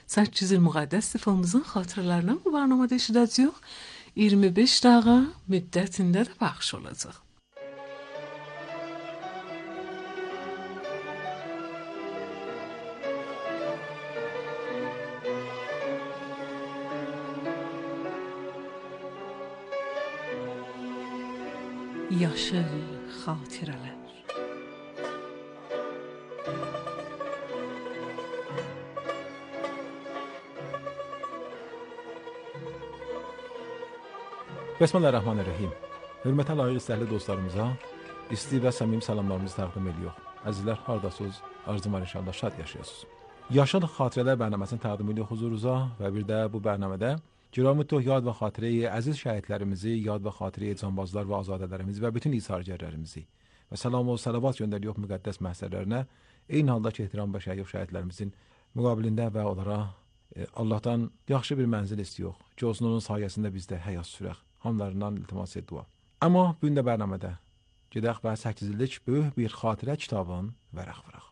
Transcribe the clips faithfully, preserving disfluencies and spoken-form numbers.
səkkiz il müqəddəs sifamızın xatirələrindən bu barnamada eşidəcəyik. iyirmi beş dəqiqə müddətində də bəxş olacaq. Yaşıl xatirələr. Bismillahirrahmanirrahim. Hörmətli layiq istəkli dostlarımıza isti və səmimi salamlarımızı təqdim edirik. Əzizlər, hardasınız? Arzum var inşallah şad yaşayasınız. Yaşıl xatirələr bərnaməsini təqdim edirik huzurunuza və bir də bu bərnamədə Giramüttuh yad və xatirəyi əziz şəhidlərimizi, yad və xatirəyi canbazlar və azadələrimizi və bütün isargərlərimizi və salam və salavat göndəririk müqəddəs məhsərlərinə. Eyni halda ki, ehtiram və şəhid şəhidlərimizin müqabilində və onlara e, Allahdan yaxşı bir mənzil istiyoruz. Ki olsun onun sayəsində biz də həyat sürək. Hamlarından iltimas et dua. Amma bu gün də bərnamədə gedək və səkkiz illik böyük bir xatirə kitabın vərəq vıraq.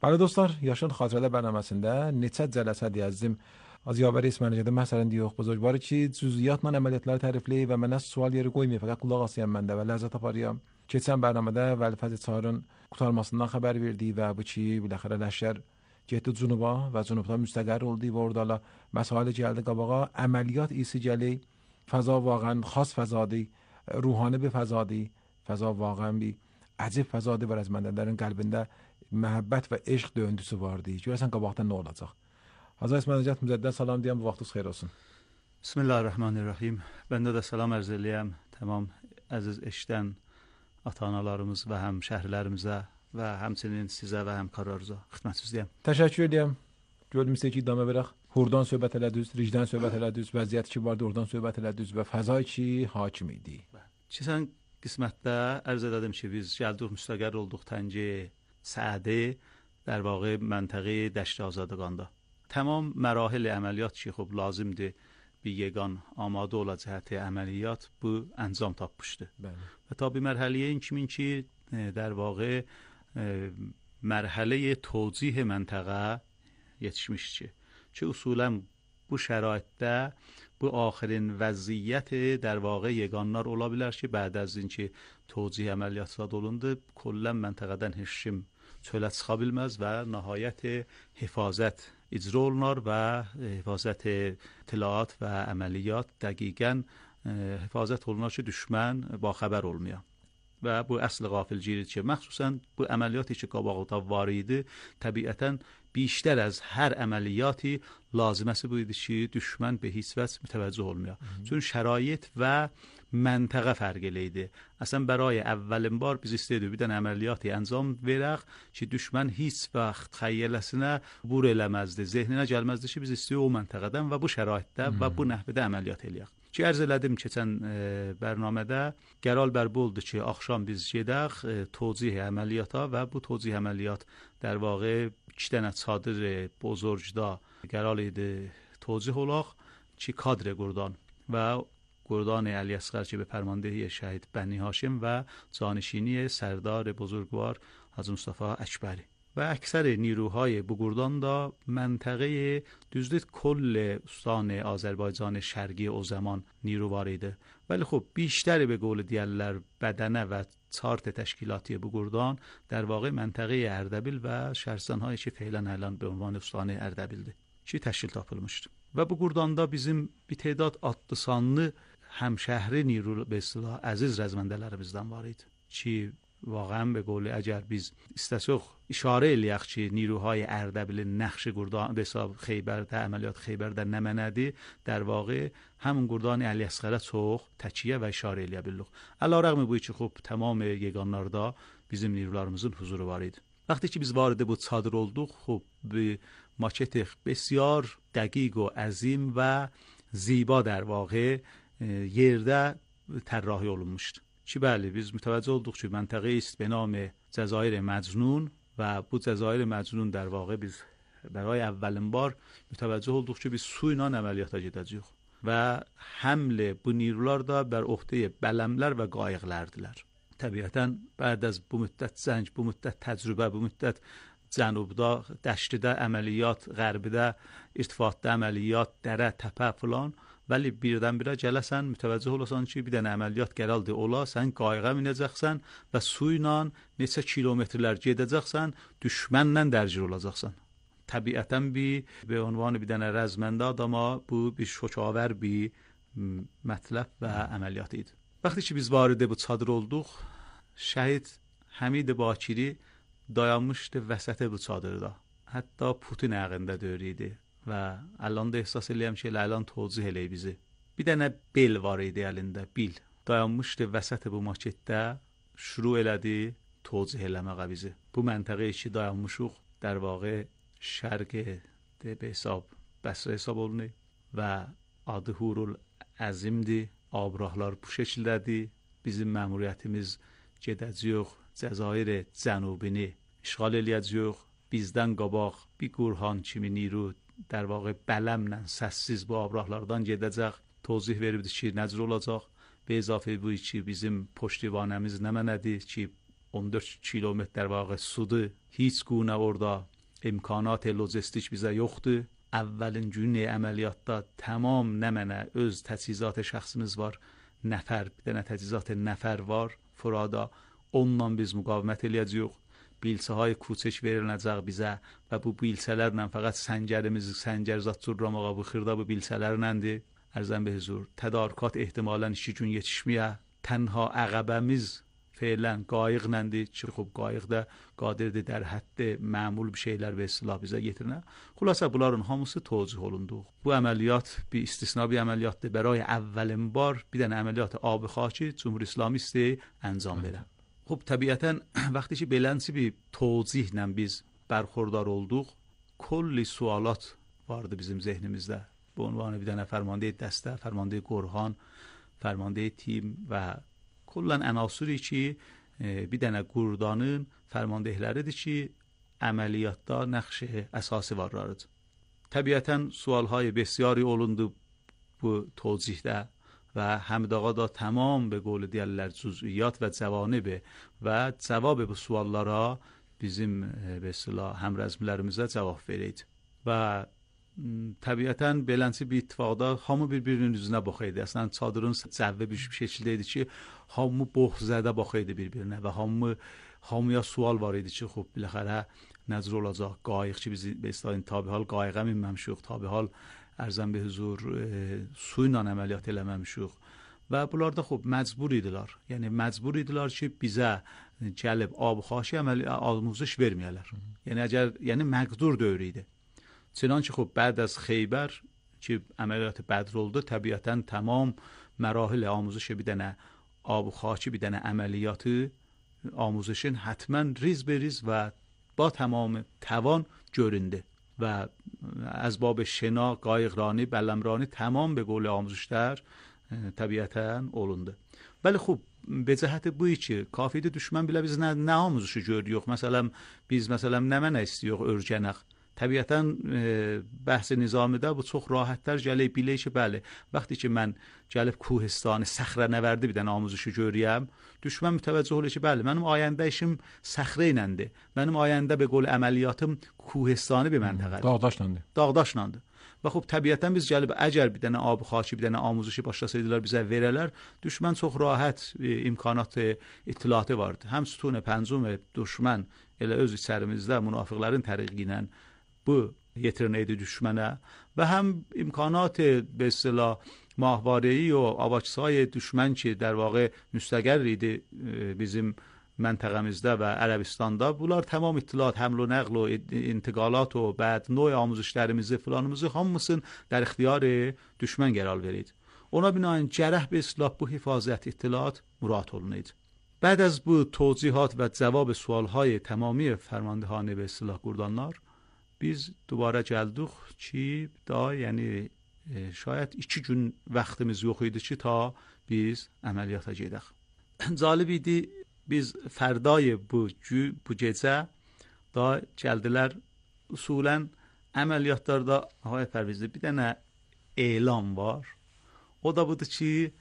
Bəli dostlar, Yaşıl xatirələr bərnaməsində neçə cələsə deyəzdim az yavəri İsmailcədə məsələn deyirik buzurgvarı ki, cüziyyatla əməliyyatları tərifləyib və mənə sual yeri qoymayıb, fəqət qulaq asayım məndə və ləzzət aparıyam. Keçən bərnamədə Vəli Fəzl Çarın qurtarmasından xəbər verdi və bu ki, biləxərə Ləşkər getdi Cunuba və Cunubda müstəqər oldu və orada məsailə gəldi qabağa, əməliyyat isi gəli, fəza vaqən xas fəzadır, ruhani bir fəzadır, fəza vaqən bir əcib fəzadır və rəzməndələrin qəlbində məhəbbət və eşq döyüntüsü vardı. Görəsən qabaqda nə olacaq? Hazır İsmailcət müzəddən salam deyəm, bu vaxtınız xeyir olsun. Bismillahirrahmanirrahim. Bəndə də salam ərz eləyəm tamam əziz eşdən ata-analarımız və həm şəhərlərimizə və həmçinin sizə və həmkarlarınıza xidmətsizliyəm. Təşəkkür edirəm. Gördüm istəyir ki, idamə verək. Hurdan söhbət elədiniz, ricdən söhbət elədiniz, vəziyyət ki vardı, oradan söhbət elədiniz və fəzay ki hakim idi. Keçən qismətdə ərz elədim ki, biz gəldik müstəqər olduq Təngi Səədi در واقع منطقه دشت آزادگاندا. تمام مراحل عملیات که خب لازمده به یگان آماده و جهت عملیات bu انجام tapmışdı. و تا به مرحله این کمین که در واقع مرحله توضیح منطقه yetişmişçi. چه اصولا bu şəraitdə bu آخرین vəziyyət در واقع yeganlar ola bilər ki, بعد از اینکه توضیح əməliyyatı olundu, کلا məntəqədən heç kim çölə çıxa bilməz və nəhayət hifazət icra olunar və hifazət اطلاعات və əməliyyat dəqiqən hifazət olunar ki, düşmən baxəbər olmaya. Və bu əsl qafilcilik ki, məxsusən bu əməliyyatı ki, qabaqda var idi, təbiətən بیشتر از هر عملیاتی لازمه بود که دشمن به هیچ وجه متوجه olmaya. چون شرایط و منطقه فرق eləydi. اصلا برای اولین بار biz istədik bir dənə əməliyyatı انجام verək ki, düşmən heç vaxt xəyyələsinə vur eləməzdi, zehninə gəlməzdi ki, biz istəyirik o məntəqədən və bu şəraitdə və bu nəhvədə əməliyyat eləyək. Ki, ərz elədim keçən e, bərnamədə qərar bər bu oldu ki, axşam biz gedək e, توضیح əməliyyata və bu توضیح əməliyyat در واقع iki dənə çadır bozorgda qərar idi توضیح olaq ki, kadr Qurdan və Qurdan Əli Əsqər ki, به فرماندهی شهید بنی هاشم و جانشینی سردار بزرگوار حاجی مصطفی اکبری و اکثر نیروهای bu Qurdan da منطقه düzdür کل استان آذربایجان شرقی o zaman نیرو var idi. ولی خب بیشتر به قول دیگرler بدنه و چارت تشکیلاتی bu Qurdan در واقع منطقه اردبیل و شهرستان‌هایی که فعلا الان به عنوان استان اردبیلdir ki təşkil tapılmışdı. Və bu Qurdanda bizim bir tədad adlı sanlı həmşəhri نیرو به اصطلاح əziz rəzməndələrimizdən var idi ki واقعا به قول اگر biz istəsək işarə eləyək ki, نیروهای اردبیل نقش Qurdan به حساب خیبرdə əməliyyat Xeybərdə nə mənədir, در واقع همون Qurdan Əli Əsqərə çox təkiyyə və işarə eləyə bildik. Əlavə bu ki, xub tamam yeganlarda bizim نیروlarımızın huzuru var idi. وقتی که biz vارد bu çadır olduq, خب به ماکت بسیار دقیق و عظیم و زیبا در واقع yerdə طراحی olunmuşdu. ki bəli biz mütəvəccüh olduq ki, məntəqə است به نام جزایر مجنون و bu جزایر مجنون در واقع biz برای اولین بار mütəvəccüh olduq ki, biz su ilə əməliyyata gedəcəyik və həml bu نیروlar da bər öhdəyə bələmlər və qayıqlardilər. Təbiətən بعد از bu müddət zəng, bu müddət təcrübə, bu müddət cənubda, dəştidə əməliyyat, qərbidə irtifatda əməliyyat, dərə, təpə filan, vəli birdən-birə gələsən, mütəvəccüh olasan ki, bir dənə əməliyyat gəldi ola, sən qayığa minəcəksən və su ilə neçə kilometrlər gedəcəksən, düşmənlə dərgir olacaqsan. Təbiətən bir به عنوان bir dənə rəzməndə adama bu bir şokaver bir mətləb və əməliyyat idi. Vaqti ki biz vارد bu çadır olduq, şəhid Həmid Bakiri dayanmışdı vəsət bu çadırda. Hətta Putin ayağında döyürdü və الان da ehsas eləyəm ki, الان توضیح eləyir bizi. Bir dənə bel var idi əlində, bil. Dayanmışdı vəsət bu maketdə, şuru elədi توضیح eləməyə bizi. Bu məntəqəyə ki dayanmışıq, در واقع şərq də به حساب Bəsrə hesab olunur və adı Hurul Əzimdir. Abrahlar bu şəkildədir. Bizim məmuriyyətimiz gedəcəyik Cəzair cənubini işğal eləyəcəyik. Bizdən qabaq bir Qurhan kimi niru در واقع bələmlə səssiz bu abrahlardan gedəcək. Tozih veribdi ki, necə olacaq? Və izafə bu ki, bizim poştivanəmiz nə mənədir ki, on dörd kilometr در واقع sudur. Heç guna orada imkanat lojistik bizə yoxdur. Əvvəlin günü əməliyyatda tamam nə mənə öz təchizat şəxsimiz var. Nəfər, bir dənə təchizat nəfər var furada. Onunla biz müqavimət eləyəcəyik. Bilsəhay کوچک veriləcək bizə və bu bilsələrlə fəqət səngərimizi səngərzat cürramağa bu xırda bu bilsələrləndir. Ərzən be huzur, tədarükat ehtimalən iki gün yetişməyə. Tənha əqəbəmiz فعلا قایق نندی چه خوب قایق ده قادرdir در حد معمول bir şeyler ve silah bize getirine. Xülasə bunların hamısı توضیح olundu. Bu əməliyyat bir istisna bir əməliyyatdır. برای اولین بار bir dənə əməliyyat abi xaki Cumhur İslami isti انجام بده. خب طبیعتاً وقتی که بلنسی bir توضیحlə biz برخوردار olduq, کلی سوالات vardı bizim zehnimizdə. Bu عنوان bir dənə fərmanده dəstə, fərmanده Qorxan, fərmanده tim və kullanan عناصری ki bir dənə qurdanın fərmandehləridir ki, əməliyyatda nəqş əsası varlarıdır. Təbiətən sualهای بسیاری olundu bu توضیحdə و حمید آقا da tamam به قول دیگرlər جزئیات و جوانب و cavab bu suallara bizim به اصطلاح həmrəzmilərimizə cavab verəydi. Və təbiətən beləncə bir ittifaqda hamı bir-birinin üzünə baxıydı. Əslən çadırın cəvvi bir şəkildə idi ki, hamı boğzədə baxıydı bir-birinə və hamı hamıya sual var idi ki, xub biləxərə nəzr olacaq qayıq ki, biz به اصطلاح tabihal qayığa minməmişik, tabihal ərzən bir huzur e, su ilə əməliyyat eləməmişik və bunlar da xub məcbur idilər. Yəni məcbur idilər ki, bizə gəlib ab-xaşi əməliyyat آموزش verməyələr. Yəni əgər yəni məqdur dövr idi. چنانچه خب بعد از خیبر که عملیات بدر oldu طبیعتاً تمام مراحل آموزش بدن آب و خاکی بدن عملیات آموزشین حتما ریز به ریز و با تمام توان göründü و از باب شنا قایقرانی بلمرانی تمام به قول آموزشler طبیعتاً olundu. ولی خب به جهت بویی که کافیdir düşmən bilə biz nə, nə آموزشu görüyoruz. Məsələn biz məsələn nə mənə istiyoruz örgənək. Təbiətən e, bəhs nizamidə bu çox rahatlar gəlib bilə ki, bəli, vaxtı ki mən gəlib Kuhistanı, səxrə nəvərdi bir dənə amuzuşu görürəm, düşmən mütəvəccüh olur ki, bəli, mənim ayəndə işim səxrə iləndir. Mənim ayəndə be qol əməliyyatım Kuhistanı bir məntəqədir. Dağdaşlandı. Dağdaşlandı. Və xub təbiətən biz gəlib əgər bir dənə ab xaki, bir dənə amuzuşu başlasaydılar bizə verələr, düşmən çox rahat e, imkanat e, ittilatı vardı. Həm sütun pəncum düşmən elə öz içərimizdə münafiqlərin təriqi ilə bu yetirinəydi düşmənə və həm imkanat به اصطلاح ماهواره‌ای و avaçsay düşmən ki, در واقع müstəqər idi bizim məntəqəmizdə və Ərəbistanda. Bunlar tamam ittilat, həml و nəql و intiqalat و بعد نوع آموزشlərimizi filanımızı hamısını در اختیار düşmən qərar verirdi. Ona binaen cərəh به اصطلاح bu hifazət ittilat murad olunurdu. بعد از bu توضیحات و جواب سوالهای تمامی فرماندهان به اصطلاح گردانlar biz دوباره gəldik ki, daha yəni e, şayət iki gün vaxtımız yox idi ki, ta biz əməliyyata gedək. Cəlib idi, biz fərdای bu, bu gecə da gəldilər, usulən əməliyyatlarda, Ağay Pərvizli, bir dənə elan var. O da budur ki,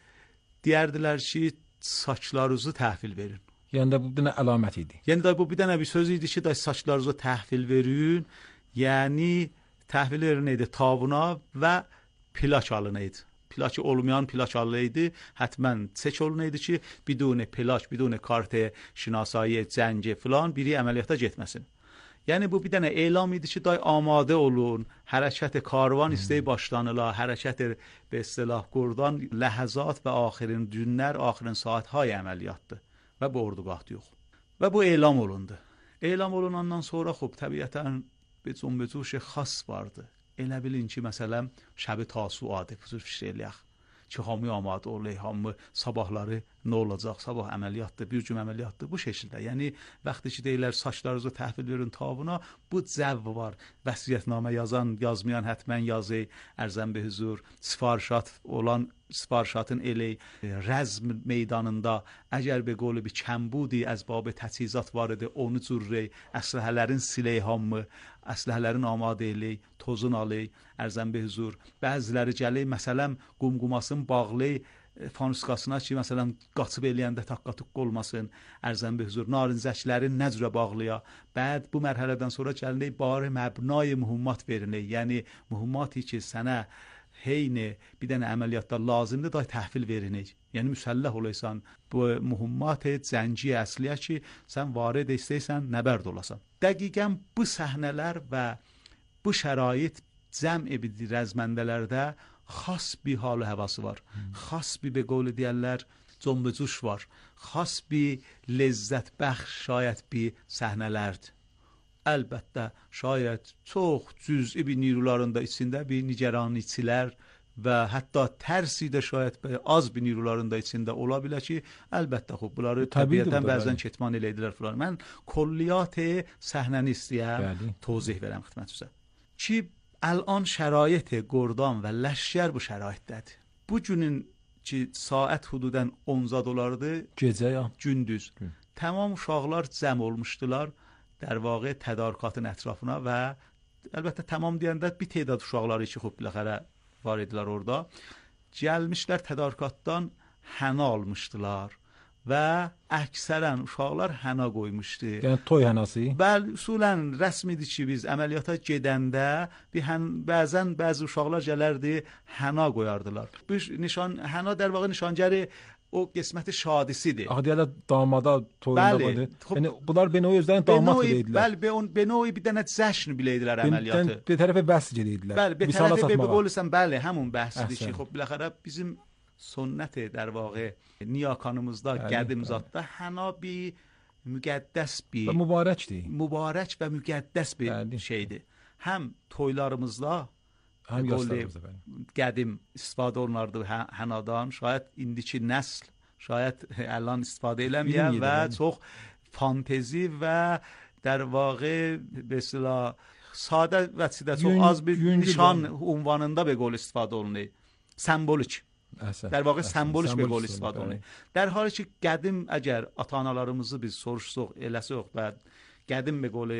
deyərdilər ki, saçlarınızı təhvil verin. Yəni də bu bir dənə əlamət idi. Yəni də bu bir dənə bir söz idi ki, da saçlarınızı təhvil verin. Yəni təhvil verin idi tabuna və plak alınaydı. Plak olmayan plak alınaydı. Həttəmən çek olunaydı ki, bidun plak, bidun kart şinasایی zənci falan biri əməliyyata getməsin. Yəni bu bir dənə elam idi ki, day amade olun, hərəkət karvan istəyi başlanıla, hərəkət به اصطلاح qurdan ləhəzat və axirin günlər, axirin saatهای əməliyyatdır və bu ordugahda yox. Və bu elam olundu. Elam olunandan sonra xub təbiətən bir cümbücüş xas vardı. Elə bilin ki, məsələn, şəbi tasuadı, fuzur fikir eləyək. Ki, hamı amad olay, hamı sabahları nə olacaq, sabah əməliyyatdır, bir gün əməliyyatdır, bu şəkildə. Yəni, vaxtı ki, deyirlər, saçlarınızı təhvil verin tabuna, bu cəv var. Vəsiyyətnamə yazan, yazmayan həttəmən yazı, ərzən be huzur, sifarişat olan, sifarişatın eli, rəzm meydanında, əgər be qolu bir kəmbudi, əzbabı təchizat var idi, onu cürrey, əsləhələrin siley hamı, əsləhələrin amadə eli, tozun alı, ərzən be huzur. Bəziləri gəli, məsələn, qumqumasın bağlı, fanuskasına ki, məsələn, qaçıb eləyəndə taqqatuq olmasın, ərzən be huzur. Narincəklərin nəcrə bağlıya. Bəd bu mərhələdən sonra gəlinək, bari məbnay mühümmat verinək. Yəni, mühümmati ki, sənə heyni bir dənə əməliyyatda lazımdır da təhvil verinik. Yəni müsəlləh olaysan, bu mühümmat zənci əsliyə ki, sən varid istəysən, nəbərd olasan. Dəqiqən bu səhnələr və bu şərait cəm ebidir rəzməndələrdə xas bir halı həvası var. Hmm. Xas bir be qovlu deyərlər, cömbücüş var. Xas bir lezzət bəxş şayət bir səhnələrdir. Əlbəttə, şayət çox cüz'i bir nirularında içində bir nigerançilər və hətta tərsi də şayət az bir nirularında içində ola bilər ki, əlbəttə, xub, bunları təbiətən bəzən ketman eləydilər falan. Mən kolliyyat səhnəni istəyəm, tozih verəm xidmətinizə. Ki, الان شرایط گردان و لشکر bu şəraitdədir. Bu günün ki saat hududan on dolardır. Gecə ya gündüz. Gün. Tamam uşaqlar cəm olmuşdular در واقع tədarükatın ətrafına və əlbəttə tamam deyəndə bir tədad uşaqları ki xub biləxərə var idilər orada. Gəlmişlər tədarükatdan həna almışdılar və əksərən uşaqlar həna qoymuşdu. Yəni toy hənası? Bəli, usulən rəsmidir ki, biz əməliyyata gedəndə bir hän, bəzən bəzi uşaqlar gələrdi, həna qoyardılar. Bu nişan həna در واقع nişangəri o qisməti şadisidir. Axı deyirlər damada toyunda qoydu. Yəni bunlar benoy özlərini damat bilirdilər. Bəli, be benoy bir dənə cəşn bilirdilər əməliyyatı. Bir tərəfə bəhs edirdilər. Bəli, bir tərəfə be qolusan, bəli, həmin bəhsdir ki, xub biləxərə bizim sünnət در واقع نیاکانımızda, qədim zatda həna bir müqəddəs bir mübarəkdir. Mübarək və müqəddəs bir bəli. Şeydir. Həm toylarımızda həm yaslarımızda qədim istifadə olunardı hənadan. Şayət indiki nəsl şayət əlan istifadə eləməyən və çox fantezi və در واقع به اصطلاح sadə və çox az bir nişan ünvanında به قول istifadə olunur. Sembolik. Əsəl, در واقع sembolik به قول istifadə olunur. در حالی ki qədim əgər ata-analarımızı biz soruşsuq, eləsək və qədim به قول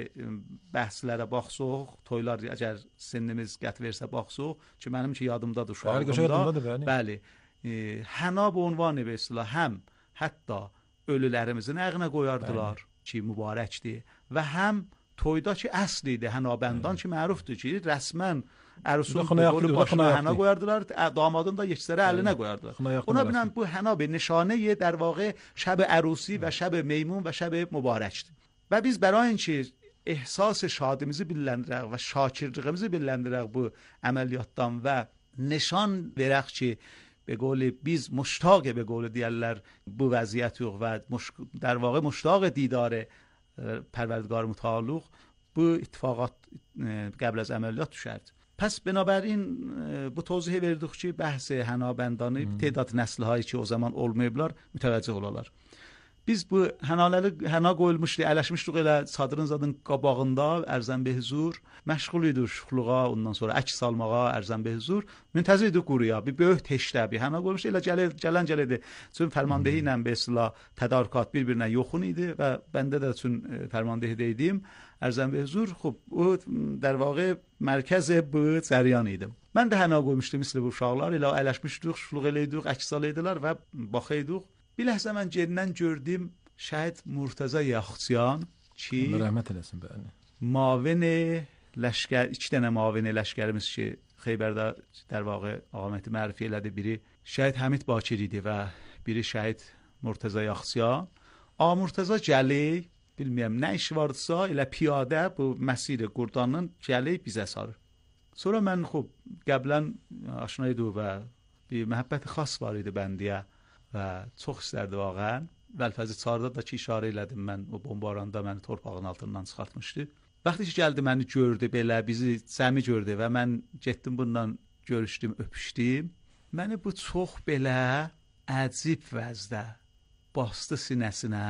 bəhslərə baxsaq, toylar əgər sinnimiz qət versə baxsaq, ki mənim ki yadımdadır uşaqlığımda. Bəli. E, həna bu ünvanı به اصطلاح həm hətta ölülərimizin əğnə qoyardılar bəli. Ki mübarəkdir və həm toyda ki əslidir, hənabənddan ki mərufdur ki rəsmən Ərsul qolu başına həna qoyardılar, damadın da yekisərə əlinə qoyardılar. Ona binən bu həna bir nişanə در واقع şəb ərusi və şəb meymun və şəb mübarəkdir. Və biz برای اینکه احساس şadimizi biləndirək və şakirliyimizi biləndirək bu əməliyyatdan və nişan verək ki به قول biz مشتاق به قول deyərlər bu vəziyyət yox və در واقع مشتاق دیدار پروردگار متعال bu اتفاقات قبل از əməliyyat düşərdi. Pəs binabərin bu توضیح verdik ki bəhs hənabəndani تعداد nəsilhایی ki o zaman olmayıblar mütəvəccüh olarlar. Biz bu hənaları həna qoyulmuşdu, ələşmişdik elə çadırın zadın qabağında ərzən be huzur, məşğul idik şuxluğa, ondan sonra əks salmağa ərzən be huzur, müntəzir idik quruya, bir böyük teşdə bir həna qoymuşdu, elə gəlir, gələn gəlirdi. Çünki fərmandehi ilə be islah tədarükat bir-birinə yoxun idi və bəndə də üçün fərmandehidə idim. Ərzən be huzur, xub, o در واقع mərkəz bu cəryan idim. Mən də həna qoymuşdum misli bu uşaqlar, elə ələşmişdik, şuxluq eləydik, əks salaydılar və baxıydık. Bir ləhzə mən gerindən gördüm, شاید مرتضی یاخچیان چی رحمت eləsin bəli. معاون لشکر iki dənə معاون لشکرimiz ki Xeybərdə در واقع آقا مهدی معرفی elədi. Biri şəhid Həmid Bakir idi və biri şəhid Murteza Yaxsiyan. A Murteza Cəli bilmirəm nə işi vardısa elə piyadə bu məsir Qurdanın Cəli bizə sarır. Sonra mən xub qəblən aşina idim və bir məhəbbət xas var idi bəndiyə və çox istərdi vaqəən. Vəlfəzi Çarda da ki işarə elədim mən o bombaranda məni torpağın altından çıxartmışdı. Vaxtı ki gəldi məni gördü belə bizi səmi gördü və mən getdim bundan görüşdüm, öpüşdüm. Məni bu çox belə əcib vəzdə bastı sinəsinə.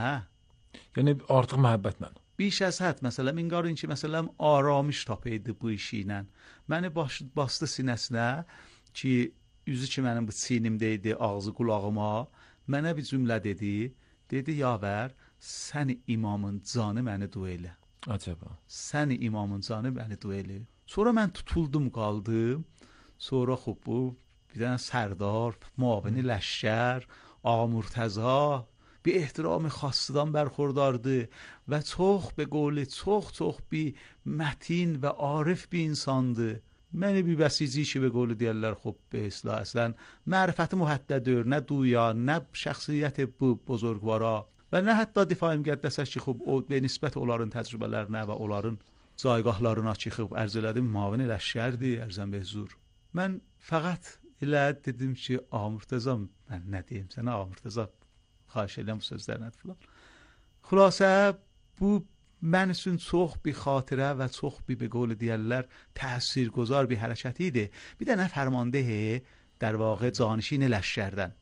Yəni artıq məhəbbətlə. Biş az hədd məsələn inqarın ki məsələn aramış tapıydı bu işi ilə. Məni baş, bastı sinəsinə ki üzü ki mənim bu çiynimdə idi, ağzı qulağıma. Mənə bir cümlə dedi. Dedi yavər sən imamın canı məni dua elə. Acaba. Sən imamın canı məni dua elə. Sonra mən tutuldum qaldım. Sonra xub bu bir dənə sərdar, muavini ləşkər, Ağa Murteza bir ehtiram xassıdan bərxurdardı və çox be qoli çox çox bir mətin və arif bir insandı. Məni bir bəsici ki be qoli deyirlər xub be islah əslən mərifəti mühəddədir, nə duya, nə şəxsiyyət bu buzurgvara və nə hətta difai müqəddəsə ki xub o be nisbət onların təcrübələrinə və onların caygahlarına ki xub ərz elədim muavin ləşkərdi, ərzən be huzur. Mən fəqət elə dedim ki Ağa Murteza mən nə deyim sənə Ağa Murteza xahiş edirəm bu sözlər nədir filan. Xülasə bu mən üçün çox bir xatirə və çox bir be qول deyirlər təsirگذار bir hərəkət idi. Bir dənə fərmandehi در واقع canişin ləşkərdən.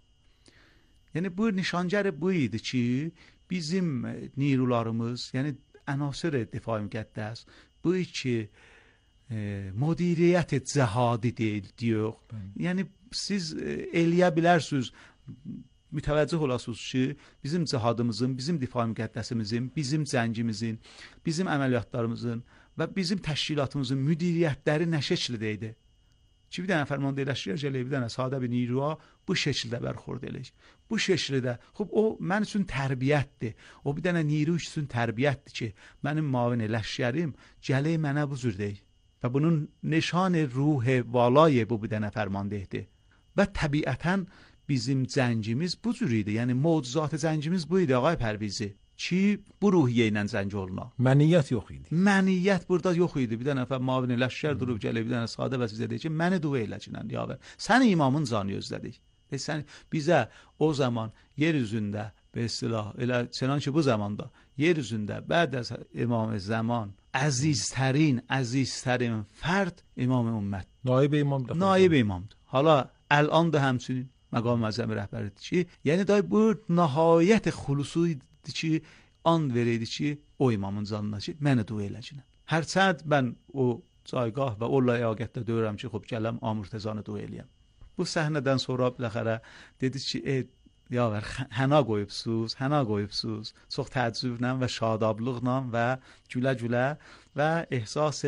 Yəni bu nişancər bu idi ki bizim نیروlarımız, yəni عناصر دفاع müqəddəs bu ki e, مدیریت cəhadi deyil diyor. Yəni siz e, eləyə bilərsiniz mütəvəccüh olasınız ki bizim cihadımızın, bizim difai müqəddəsimizin, bizim cəngimizin, bizim əməliyyatlarımızın və bizim təşkilatımızın müdiriyyətləri nə şəkildə idi? Ki bir dənə fərmanda eləşdirəcək, bir dənə sadə bir niruya bu şəkildə bərxurd eləyik. Bu şəkildə, xub o mən üçün tərbiyyətdir. O bir dənə niru üçün tərbiyyətdir ki, mənim mavin eləşərim gələk mənə bu cür deyil. Və bunun nişan ruh valay bu bir dənə fərmandehdir. Və təbiətən bizim cəngimiz bu cür idi. Yəni mövcuzat cəngimiz bu idi ağay Pərvizi. Ki bu ruhiyyə ilə zəng olma. Məniyyət yox idi. Məniyyət burada yox idi. Bir dənə nəfər mavin ləşkər durub gəlir, bir dənə sadə vəzifə deyir ki, məni dua eləcinən yavər. Sən imamın canı özlədik. E sən bizə o zaman yer üzündə be istilah elə çənan ki bu zamanda yer üzündə bəd az imam zaman əziztərin, əziztərin fərd imam ümmət. Naib imamdır. Naib imamdır. Hala الان da həmçinin məqam məzəmi rəhbəridir ki, yəni da bu nəhayət xulusi ki an vereydi ki o imamın canına ki mənə dua eləcinə. Hərçənd mən o caygah və o ləyaqətdə deyirəm ki, xub gələm Ağa Murtezanı dua eləyəm. Bu səhnədən sonra biləxərə dedi ki, ey yavər həna qoyubsuz, həna qoyubsuz. Çox təəccüblə və şadablıqla və gülə-gülə və ehsas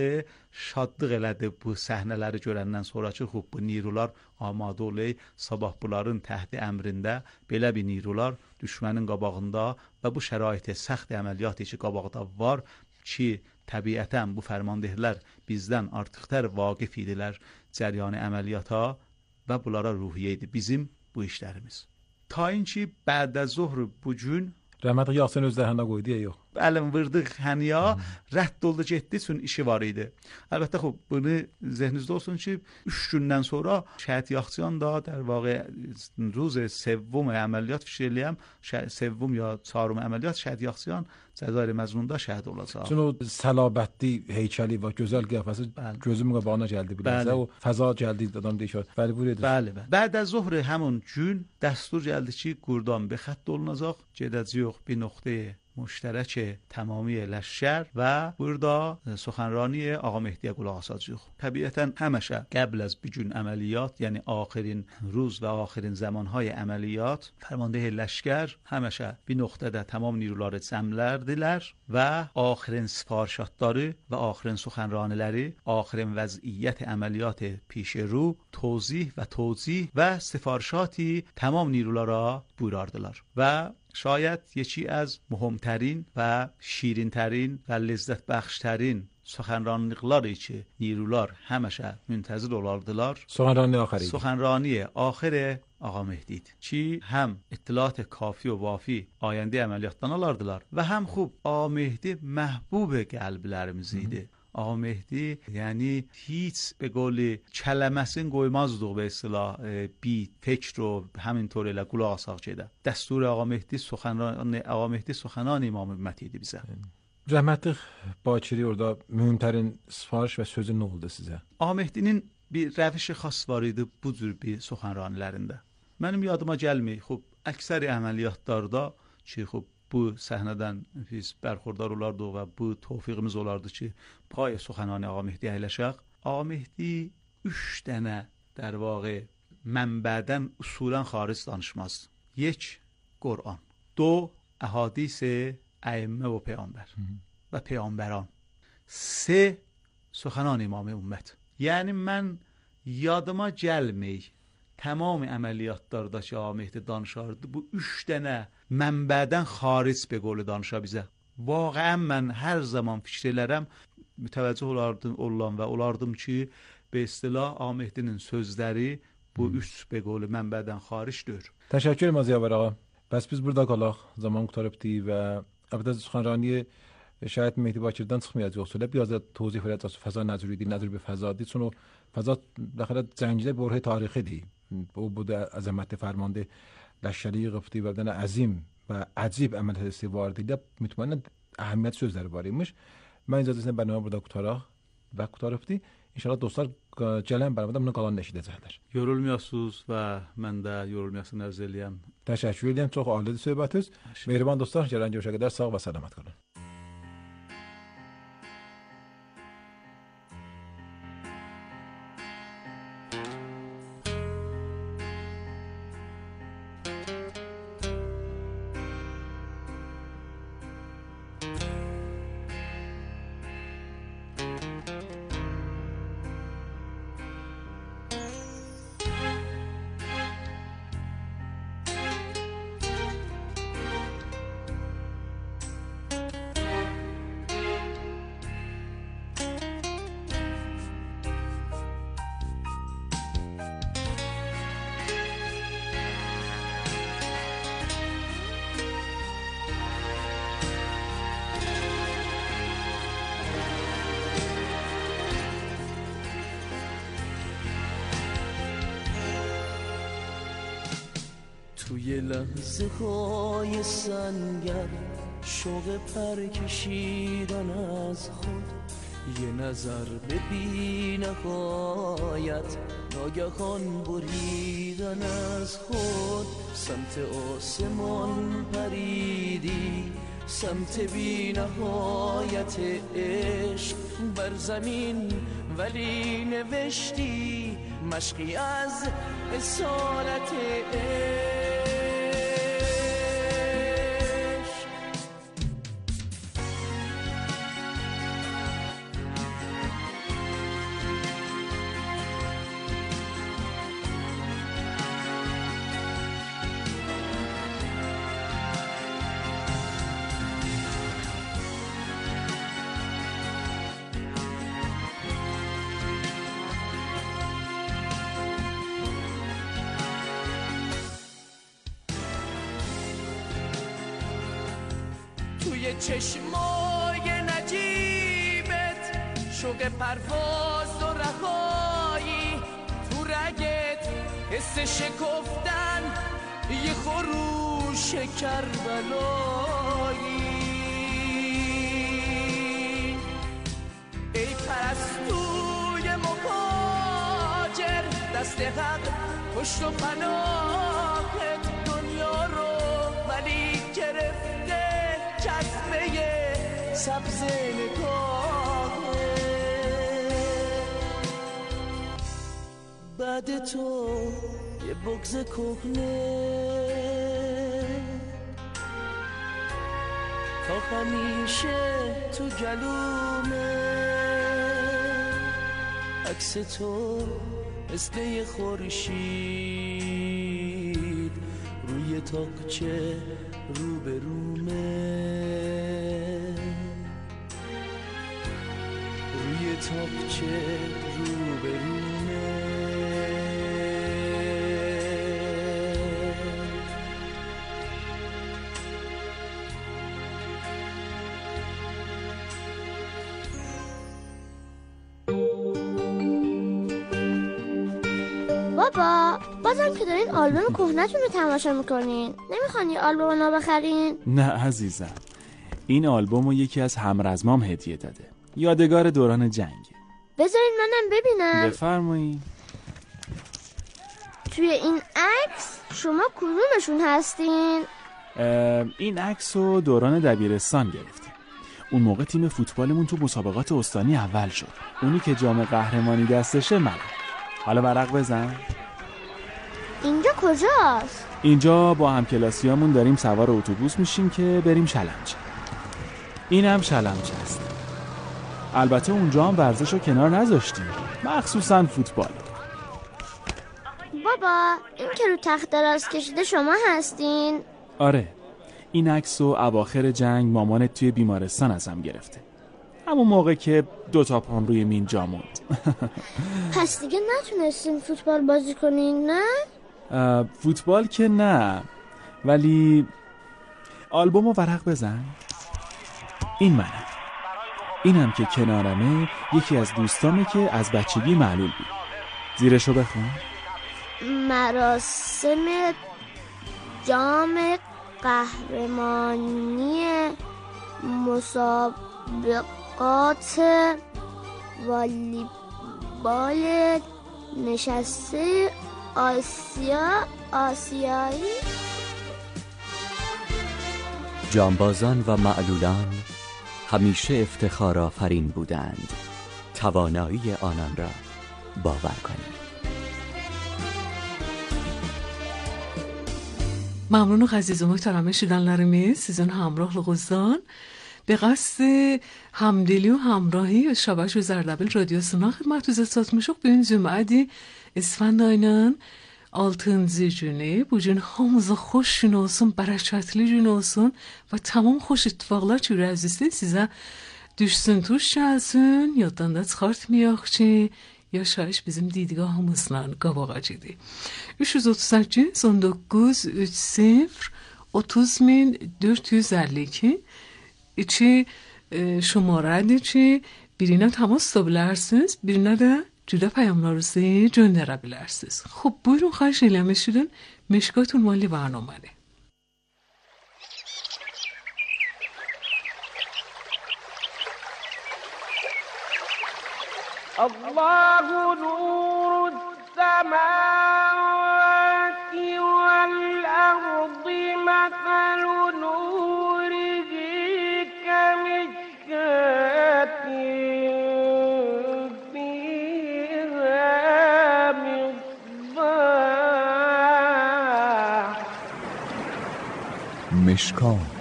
şadlıq elədi bu səhnələri görəndən sonra ki, xub bu nirular amadə olay, sabah bunların təhti əmrində belə bir nirular düşmənin qabağında və bu şəraitə səxt əməliyyatı ki, qabaqda var ki, təbiətən bu fərmandehlər bizdən artıqtər vaqif idilər cəryanı əməliyyata və bunlara ruhiyyə idi bizim bu işlərimiz. Ta inki bədə zuhr bu gün Rəhmətli Yasin özləri hənə qoydu ya yox. Əlin vırdıq həniya, rədd oldu getdi üçün işi var idi. Əlbəttə xub bunu zehninizdə olsun ki, üç gündən sonra şəhid Yaxçıyan da در واقع روز سوم əməliyyat fikir eləyəm, سوم ya çarım əməliyyat şəhid Yaxçıyan Cəzair Məzmununda şəhid olacaq. Çünki o səlabətli heykəli və gözəl qiyafəsi gözümün qabağına gəldi biləcək. O fəza gəldi adam deyir. Bəli, buyur edin. Bəli, bəli. Bəd az zuhr həmin gün dəstur gəldi ki, Qurdan be xətt olunacaq, gedəcəyik bir nöqtəyə مشترک تمامی لشکر و burada سخنرانی آقا مهدی qulaq asacağıq. Təbiətən həmişə qəbl az bir gün əməliyyat, yəni axirin روز və axirin zamanهای əməliyyat fərmandehi لشکر həmişə bir nöqtədə tamam نیروları cəmlərdilər və axirin sifarişatları və axirin سخنرانیləri, axirin vəziyyət əməliyyat پیش رو توضیح və توضیح və sifarişaتی tamam نیروlara buyurardılar və شاید یکی از مهمترین و شیرینترین و لذت بخشترین سخنرانیقلاری که نیروlar həmişə müntəzir olardılar. سخنرانی آخری سخنرانی آخر آقا مهدی چی هم اطلاعات کافی و وافی آینده əməliyyatdan alardılar və həm xub آقا مهدی محبوب qəlblərimiz idi. آقا مهدی یعنی هیچ به قول کلمəsini qoymazdıq به اصطلاح بی فکر و همینطور elə qulaq asaq gedə. دستور آقا مهدی سخنرانی آقا مهدی سخنان İmam Ümmət idi bizə. Rəhmətli Bakiri orada mühümtərin sifariş və sözü nə oldu sizə? آقا مهدinin bir rəvişi xas var idi bu cür bir سخنرanilərində. Mənim yadıma gəlmir. Xub əksər əməliyyatlarda ki, xub bu səhnədən biz bərxurdar olardıq və bu tövfiqimiz olardı ki, pay سخنان آقا مهدی əyləşək. آقا مهدی üç dənə در واقع mənbədən usulən xaric danışmaz. یک قرآن، دو احادیث ائمه و پیامبر و پیامبران، سه سخنان امام امت. یعنی من yadıma gəlmir tamam əməliyyatlarda ki, Ağa Mehdi danışardı. Bu üç dənə mənbədən xaric bir qolu danışa bizə. Vaqəən mən hər zaman fikir elərəm, mütəvəccüh olardım, olan və olardım ki, به اصطلاح Ağa Mehdinin sözləri bu üç bir qolu mənbədən xaricdir. Təşəkkür edirəm Ziyavar ağa. Bəs biz burada qalaq. Zaman qurtarıbdı və əlbəttə سخنرانی شاید مهدی باکردن çıxmayacaq olsa, biraz da توضیح verəcək fəza nəzəri idi, nəzər bir fəzadır. Çünki fəza daxil cəngidə برهه tarixidir. Bu bu da əzəmətli fərmanda لشکری قفتی و بدن عظیم و عجیب عملیات استواری ده مطمئنا اهمیت sözləri var imiş. Mən icazəsində bərnamə burada qutaraq və qutarıbdı. İnşallah dostlar gələn bərnamədə bunu qalan eşidəcəklər. Yorulmayasınız və mən də yorulmayasını arz eləyəm. Təşəkkür edirəm. Çox alidir söhbətiniz. Mehriban dostlar, gələn görüşə qədər sağ və salamat qalın. توی لحظه های سنگر شوق پر کشیدن از خود، یه نظر به بی نهایت ناگهان بریدن از خود، سمت آسمان پریدی سمت بی نهایت عشق بر زمین، ولی نوشتی مشقی از اسارت عشق. توی چشمای نجیبت شوق پرواز و رهایی، تو رگت حس شکفتن یه خروش کربلایی. ای پرستوی مهاجر دست حق پشت و پناهت دنیا رو ولی گرفته جذبه سبز نگاهه. بعد تو یه بغض کهنه تا همیشه تو گلومه، عکس تو مثل یه خورشید روی تاقچه روبرومه، روی تاقچه روبرومه. بابا بازم که دارین آلبوم کهنه‌تون رو تماشا میکنین، نمیخوان یه آلبوم نو بخرین؟ نه عزیزم، این آلبوم رو یکی از همرزمام هدیه داده، یادگار دوران جنگ. بذارین منم ببینم. بفرمایید. توی این عکس شما کدومشون هستین؟ این عکس رو دوران دبیرستان گرفتیم. اون موقع تیم فوتبالمون تو مسابقات استانی اول شد. اونی که جام قهرمانی دستشه منم. حالا ورق بزن. اینجا کجاست؟ اینجا با همکلاسیامون داریم سوار اتوبوس میشیم که بریم شلمچه. این هم شلمچه است. البته اونجا هم ورزش رو کنار نذاشتیم، مخصوصا فوتبال. بابا این که رو تخت دراز کشیده شما هستین؟ آره، این عکس رو اواخر جنگ مامانت توی بیمارستان ازم گرفته، همون موقع که دوتا پام روی مین جا موند. پس دیگه نتونستین فوتبال بازی کنین نه؟ فوتبال که نه، ولی آلبوم رو ورق بزن. این منم. اینم که کنارمه یکی از دوستامه که از بچگی معلول بود. زیرشو بخون. مراسم جام قهرمانی مسابقات والیبال نشسته آسیا آسیایی. جانبازان و معلولان همیشه افتخار آفرین بودند. توانایی آنان را باور کنید. ممنون و عزیز و محترم شیدنلرimiz sizin hamrohluğunuzdan به قصد همدلی و همراهی Şabaş ve Zerdəbil radyosuna xidmətinizə çatmışıq. Bu gün Cümə İsfənd ayının altıncı günü. Bu gün hamınıza xoş gün olsun, bərəkətli gün olsun və tamam xoş ittifaqlar ki, ürəyinizdə sizə düşsün, tuş gəlsin. Yaddan da çıxartmayaq ki, yaşayış bizim didgahımızla qabağacıdır. üç yüz otuz səkkiz on doqquz üç sıfır otuz min dörd yüz əlli iki İçi e, şumarədir ki, birinə təmas tuta bilərsiniz, birinə də cüdə pəyamlarınızı göndərə bilərsiniz. Xub, buyurun, xahiş eləmək üçün Meşkat Ünvanlı برنامه. الله نور السماوات والأرض مثل نوره كمشكاة فيها مصباح. مشکات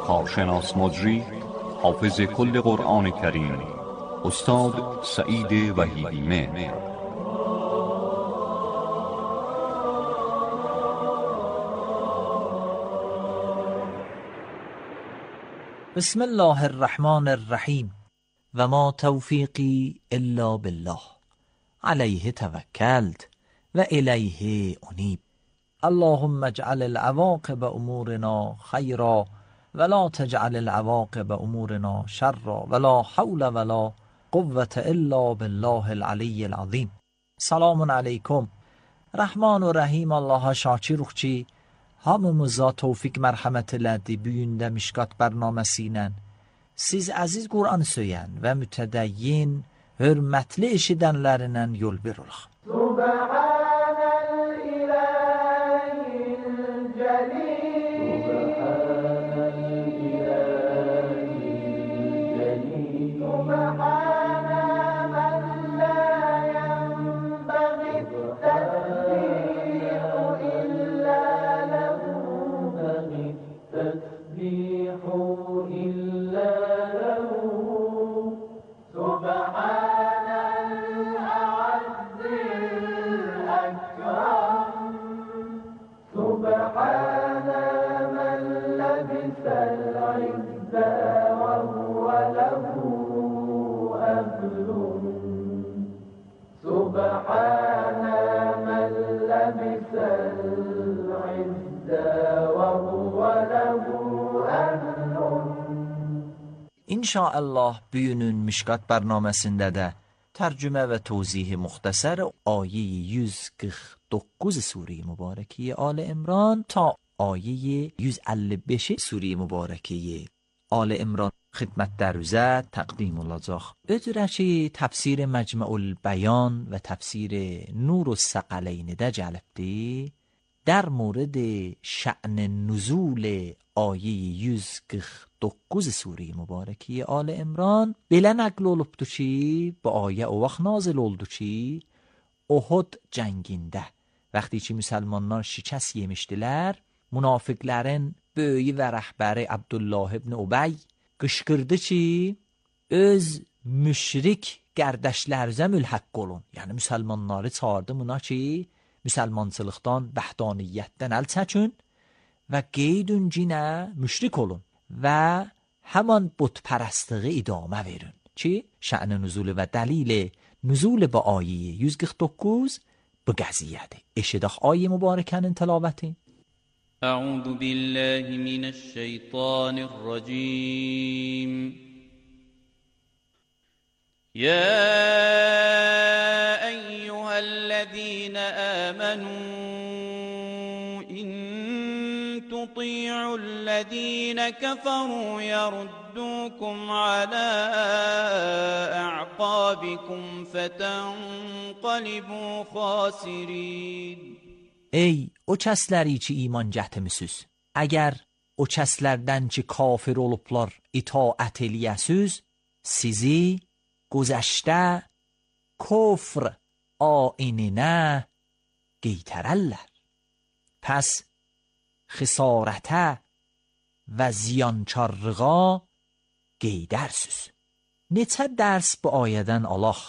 کارشناس مجری حافظ کل قرآن کریم استاد سعید وحیدی مهر. بسم الله الرحمن الرحیم و ما توفیقی الا بالله علیه توکلت و الیه انیب. اللهم اجعل العواقب امورنا خیرا ولا تجعل العواقب امورنا شرا ولا حول ولا قوة الا بالله العلی العظیم. Selamun aleyküm. Rahman ve Rahim Allah'a şakirukçi hamımıza tevfik merhamet elədi. Büyündə Mişkat bərnaməsi ilə siz əziz Qur'an söyən və mütədəyyin hörmətli eşidənlərindən yol verilək. سبحان أهل سبحان من لبس العز وهو له أهل. İnşallah bugünün Mişkat bərnaməsində də tərcümə və tövzih müxtəsər ayə yüz qırx doqquz Sure Mübarəkə Ali İmran ta ayə yüz əlli beş Sure Mübarəkə Ali İmran xidmətdə rüzə təqdim olacaq. Ötürə ki, təfsir Məcmu'ul Bəyan və təfsir Nurus Səqəleynidə gəlibdir. در مورد شأن نزول آیه yüz qırx doqquz سوره مبارکه آل عمران belə nəql olubdur ki, bu ayə o vaxt nazil oldu ki, Uhud cəngində vaxtı ki müsəlmanlar şikəst yemişdilər, münafiqlərin böyüyü və rəhbəri Abdullah ibn Ubay qışqırdı ki, öz müşrik qərdəşlərinizə mülhəq olun. Yəni müsəlmanları çağırdı buna ki, müsəlmançılıqdan, bəhdaniyyətdən əl çəkin və qeydün cinə müşrik olun və həman butpərəstliği idamə verin ki, şə'n nüzulu və dəlil nüzul bu ayə yüz qırx doqquz bu qəziyyədir. Eşidək ayə mübarəkənin tilavəti. Əuzu billahi minəşşeytanirracim. Ya الذين آمنوا إن تطيعوا الذين كفروا يردوكم على أعقابكم فتنقلبوا خاسرين. Ey o kəsləri ki iman gətirmisiniz, əgər o kəslərdən ki kafir olublar itaət eləyəsiz, sizi güzəştə kufr آینینه قیترالله. پس خسارته و زیانچارغا قیدرسوز. Neçə dərs bu ayədən alaq?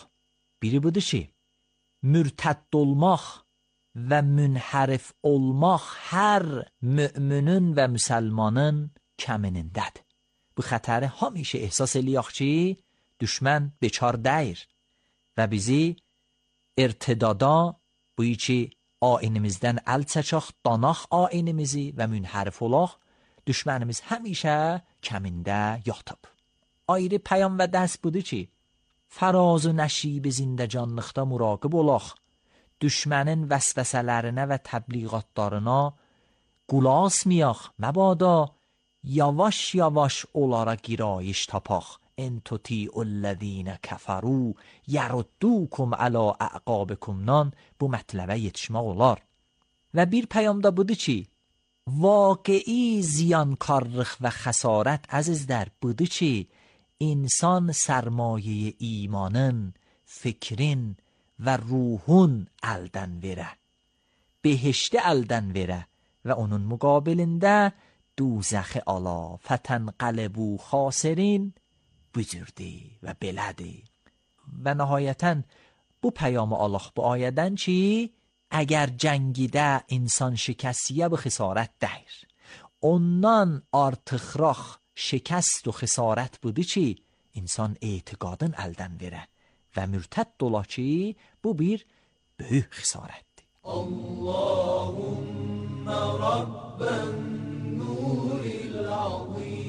Biri budur ki, mürtədd olmaq və münhərif olmaq hər müminin və müsəlmanın kəminindədir. Bu xətəri həmişə ehsas eləyək ki, düşmən bekar deyir və bizi ارتدادا بویی ki aynimizdən əl çəkək, danaq aynimizi və münhərif olaq, düşmənimiz həmişə kəmində yatıb. Ayrı pəyam və dərs budur ki, fəraz و nəşib zindəcanlıqda muraqib olaq, düşmənin vəsvəsələrinə və təbliğatlarına qulasmayaq, məbada yavaş yavaş onlara girayış tapaq. ان تطیعوا الذین کفروا یردوکم علی اعقابکم نان bu mətləbə yetişmək olar. Və bir peyamda budur ki, واقعی ziyankarlıq və xəsarət əzizlər budur ki, insan sərmayə imanın, fikrin və ruhun əldən verə, behişti əldən verə və onun müqabilində دوزخ ala فتنقلبوا خاسرین بزرگی و بلدی. و نهایتاً bu پیام Allah bu ayədən ki, əgər cəngidə insan şikəstiyə bu xisarət dəyir. Ondan artıqraq şikəst و xisarət budur ki, insan etiqadın əldən verə və mürtədd ola ki, bu bir böyük xisarətdir. Allahümme Rabben nuril azim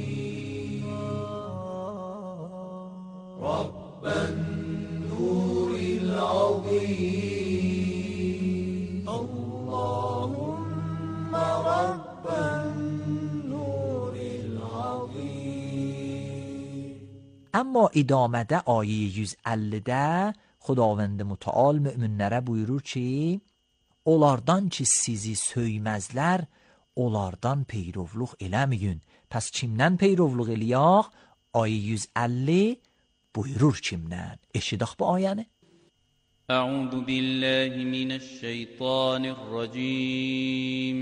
رب النور العظيم اللهم رب النور العظيم. اما ادامده آیه yüz əllidə Xudavənd Mütəal möminlərə buyurur ki, onlardan ki sizi söyməzlər, onlardan peyrovluq eləməyin. Pəs kimdən peyrovluq eləyək? Ayə yüz əlli buyurur kimdən? Eşidək bu ayəni. Əuzu billahi mineşşeytanirracim.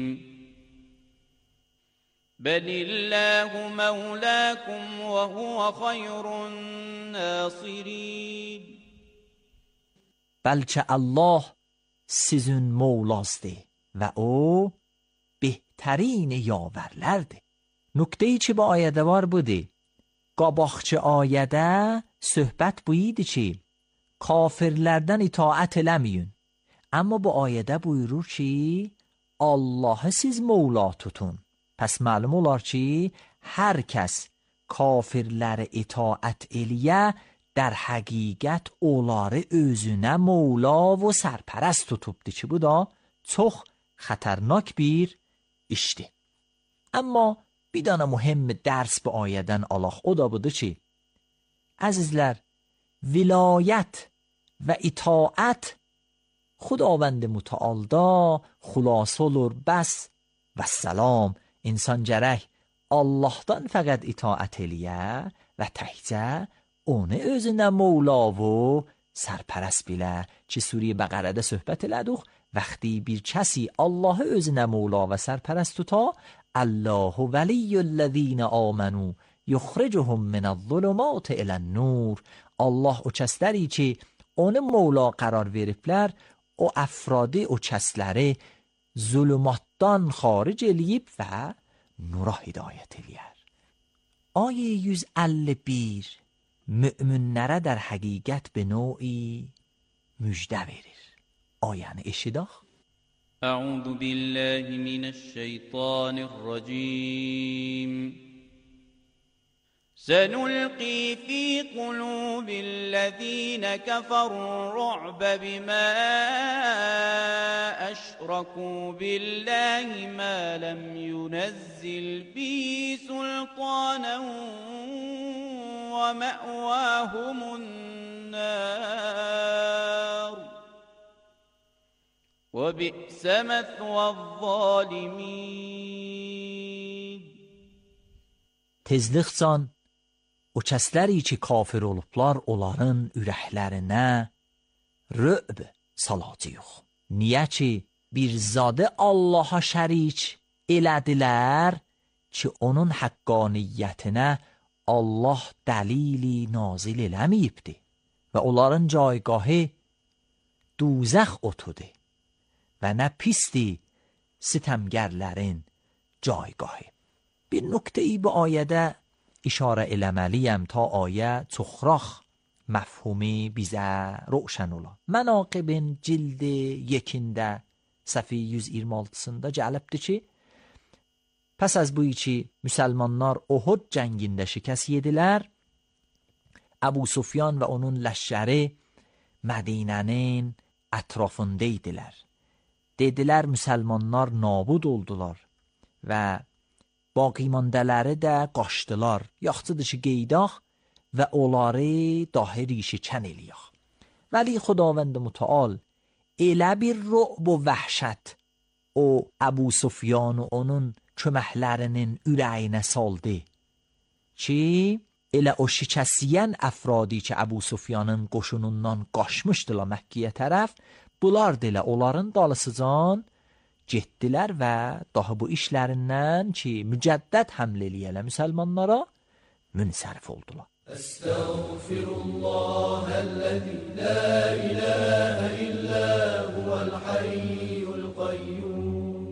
Bəlillahu mevlakum və huve xayrun nasirin. Bəlkə Allah sizin mevlasdır və o bəhtərin yavərlərdir. Nüktəyi ki bu ayədə var budur. Qabaqçı ayədə söhbət bu idi ki, kafirlərdən itaət eləməyin. Amma bu ayədə buyurur ki, Allahı siz Mevla tutun. Pəs məlum olar ki, hər kəs kafirlərə itaət eləyə, در حقیقت اولاره özünə مولا و سرپرست tutubdu ki, bu da çox xətərnak bir işdir. Amma bir dana mühim dərs bu ayədən alaq, o da budur ki, əzizlər, vilayət və itaət خداوند متعالدا خلاصه olur bəs və səlam. İnsan gərək Allahdan fəqət itaət eləyə və təkcə onu özünə مولا و سرپرست bilə ki, Suriye Bəqərədə söhbət elədik. وقتی bir کسی الله özünə مولا و سرپرست tuta, الله ولی الذین آمنوا یخرجهم من الظلمات الى النور. Allah o kəsləri ki, onu مولا qərar veriblər, o əfradi o kəsləri zulümatdan xaric eləyib və nura hidayət eləyər. Ayə yüz əlli bir müminlərə در حقیقت به نوعی müjdə verir. Ayəni eşidək. أعوذ بالله من الشيطان الرجيم سنلقي في قلوب الذين كفروا الرعب بما أشركوا بالله ما لم ينزل به سلطانا ومأواهم النار وبئس مثوى الظالمين. Tezlikcan o kəsləri ki kafir olublar, onların ürəklərinə rö'b salacağıq. Niyə ki bir zadı Allaha şərik elədilər ki, onun haqqaniyyətinə Allah dəlili nazil eləməyibdi və onların caygahı دوزخ otudur və nə pisdir sitəmgərlərin caygahı. Bir nöqteyi bu ayədə işarə eləməliyəm ta ayə çoxrax məfhumi bizə roşən ola. Mənaqibin cildi yekində səhifə yüz iyirmi altısında gəlibdir ki, pəs az bu ki müsəlmanlar Uhud cəngində şikəst yedilər, Əbu Sufyan və onun ləşkəri Mədinənin ətrafında idilər. Dedilər müsəlmanlar nabud oldular və باقی ماندələri də qaçdılar. Yaxşıdır ki qeydaq və onları dahi ریشه‌کن eləyək. ولی خداوند متعال elə bir رعب و vəhşət o Əbu Sufyan و onun köməklərinin ürəyinə saldı ki, elə o şikəsiyən əfradi ki Əbu Sufyanın qoşunundan qaçmışdılar Məkkəyə tərəf, bunlar da elə onların dalısıcan getdilər və daha bu işlərindən ki mücəddəd həmlə eləyələ müsəlmanlara münsərif oldular. Estağfirullahəl-ləzi la iləhə illə huvəl-hayyul qayyum.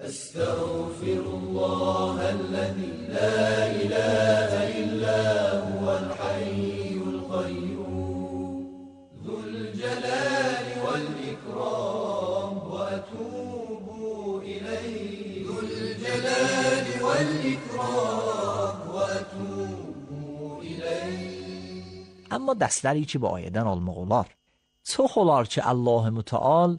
Estağfirullahəl-ləzi la iləhə illə huvəl-hayyul qayyum. Zülcəlali vəl-ikram və ətub الجلال والإكرام وأتوب إليه. اما dərsləri ki bu ayədən almaq olar. Çox olar ki Allah Mütəal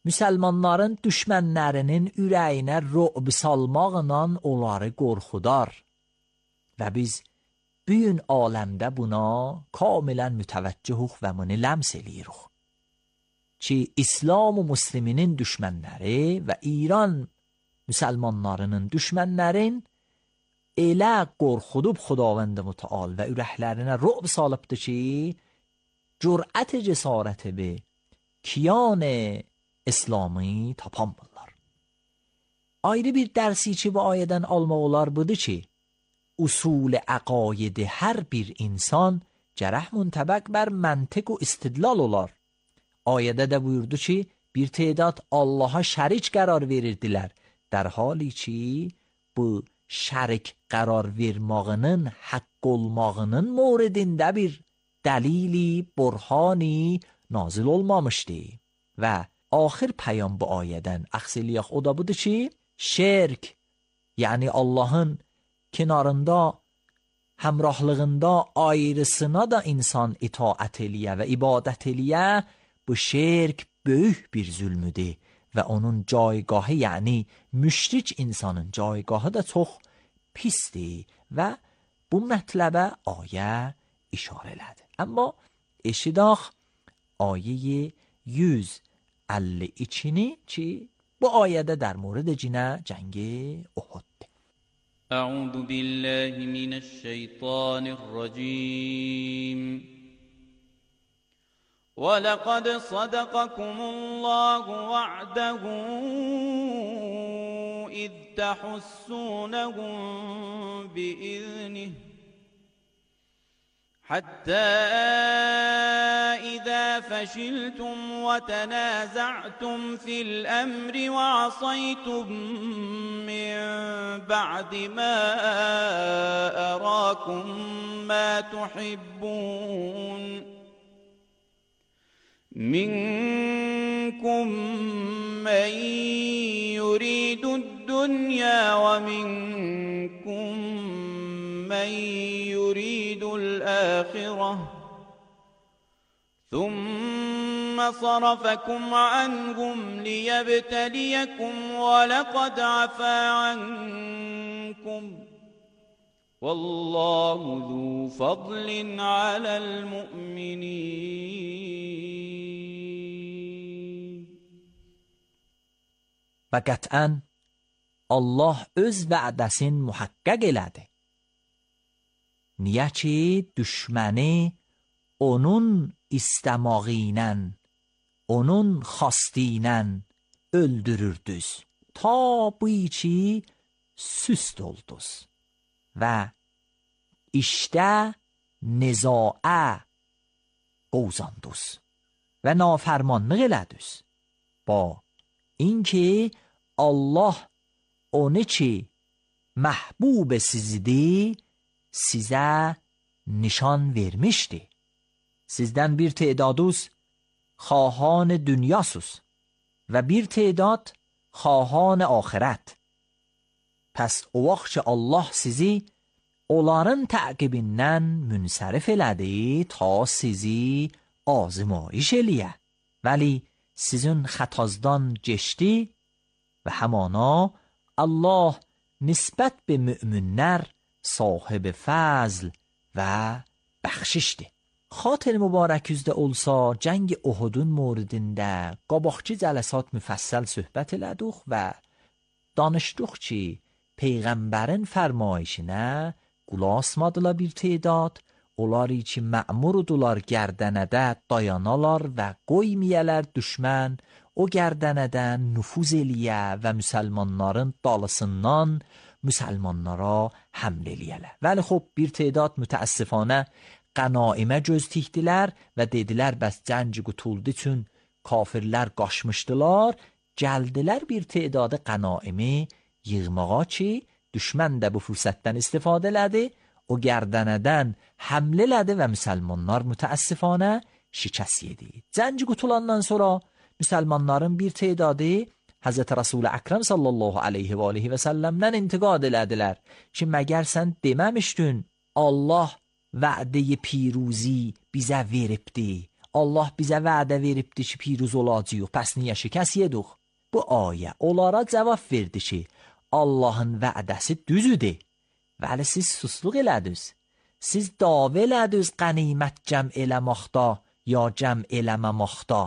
müsəlmanların düşmənlərinin ürəyinə rü'b salmaqla onları qorxudar və biz bu gün aləmdə buna kamilən mütəvəccühük və bunu ləms eləyirik ki İslam və müsliminin düşmənləri və İran müsəlmanlarının düşmənlərin elə qorxudub Xudavənd Mütəal və ürəklərinə rü'b salıbdır ki, cürət cəsarəti be kiyan İslami tapanmırlar. Ayrı bir dərsi ki bu ayədən almaq olar budur ki, usul əqaid hər bir insan gərək müntəbəq bər məntiq و istidlal olar. Ayədə də buyurdu ki, bir تعداد Allaha şərik qərar verirdilər. در حالی ki bu şərik qərar vermağının haqq olmağının moridində bir dəlili, burhani nazil olmamışdı. Və axir pəyam bu ayədən əxsiliyaq o da budur ki, şirk, yəni Allahın kenarında, həmrahlığında ayrısına da insan itaət eləyə və ibadət eləyə, bu şirk böyük bir zülmüdür və onun caygahı, yəni müşrik insanın caygahı da çox pisdir və bu mətləbə ayə işarə elədi. Amma eşidaq ayə yüz əlli ikini ki, bu ayədə در مورد جنه جنگ احد. أعوذ بالله من الشيطان الرجيم ولقد صدقكم الله وعده إذ تحسونهم بإذنه حتى إذا فشلتم وتنازعتم في الأمر وعصيتم من بعد ما أراكم ما تحبون منكم من يريد الدنيا ومنكم من يريد الآخرة ثم صرفكم عنهم ليبتليكم ولقد عفا عنكم والله ذو فضل على المؤمنين. و قطعاً Allah öz vədəsin muhaqqaq elədi. Niyə ki, düşməni onun istəmağı onun xastı ilə öldürürdüz. Ta bu ki, süst olduz. Və işdə nizaə qovzanduz. Və nafərmanlıq elədüz. Ba اینکه Allah onu ki محبوب sizdi sizə nişan vermişdi. Sizdən bir tedaduz xahan dünyasuz və bir tedad xahan axirət. Pəs o vaxt ki Allah sizi onların təqibindən münsərif elədi ta sizi azmayış eləyə. Vəli sizin xətazdan geçdi və həmana Allah nisbət be müminlər sahib fəzl və bəxşişdir. Xatir mübarək üzdə olsa cəng Uhudun moridində qabaqçı cələsat müfəssəl söhbət elədik və danışdıq ki Peyğəmbərin fərmayişinə qulaq asmadılar bir tedad, onları ki mə'murdular gərdənədə dayanalar və qoymiyələr düşmən o gərdənədən nüfuz eləyə və müsəlmanların dalısından müsəlmanlara həmlə eləyələr. Vəli xub bir tedad mütəəssifanə qənaimə göz tikdilər və dedilər bəs cəngi qutuldu üçün kafirlər qaçmışdılar, gəldilər bir tedadı qənaimi yığmağa ki düşmən də bu fürsətdən istifadə elədi, o gərdənədən həmlə elədi və müsəlmanlar mütəəssifanə şikəst yedi. Cəngi qutulandan sonra müsəlmanların bir tedadı Həzrət Rasul-i Əkrəm sallallahu aleyhi və aleyhi və səlləmdən intiqad elədilər ki məgər sən deməmişdin Allah vədə-i piruzi bizə veribdi. Allah bizə vədə veribdi ki piruz olacaq. Pəs niyə şikəst yedik? Bu ayə onlara cavab verdi ki Allahın vədəsi düzüdür. Vəli siz susluq elədiniz. Siz davə elədiniz qənimət cəm eləmaqda ya cəm eləməmaqda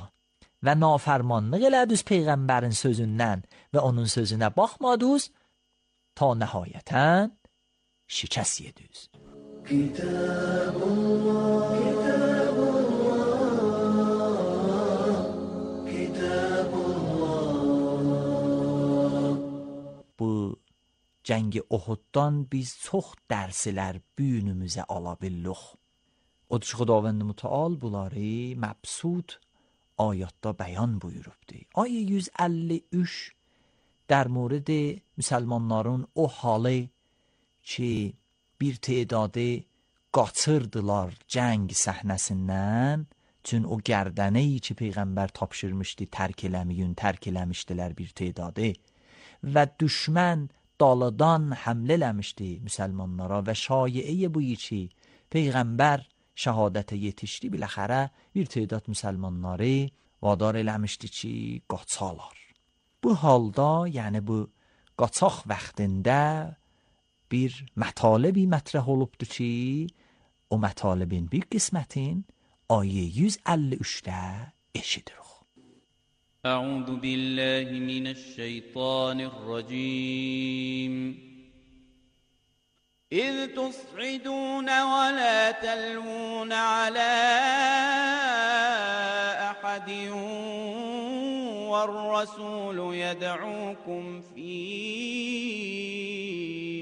və nafərmanlıq elədiniz Peyğəmbərin sözündən və onun sözünə baxmadınız ta nəhayətən şikəst yediniz. Kitabullah, Kitabullah, Kitabullah. Bu cəngi Uhuddan biz çox dərslər büyünümüzə ala bildik. Odur ki Xudavənd Mütəal bunları məbsud ayatda bəyan buyurubdu. Ayə yüz əlli üç در مورد مسلمانların o halı ki bir tedadı qaçırdılar cəng səhnəsindən. Çün o gərdəneyi ki Peyğəmbər tapşırmışdı tərk eləməyin, tərk eləmişdilər bir tedadı. Və düşmən daladan həmlə eləmişdi müsəlmanlara və şایəyə bu ki Peyğəmbər şəhadətə yetişdi. Biləxərə bir tedad müsəlmanları vadar eləmişdi ki qaçalar. Bu halda, yəni bu qaçaq vaxtında bir mətalebi mətrəh olubdu ki, o mətalibin bir qismətin آیه yüz elli üçdə eşidirik. أعوذ بالله من الشيطان الرجيم إذ تصعدون ولا تلوون على أحد والرسول يدعوكم في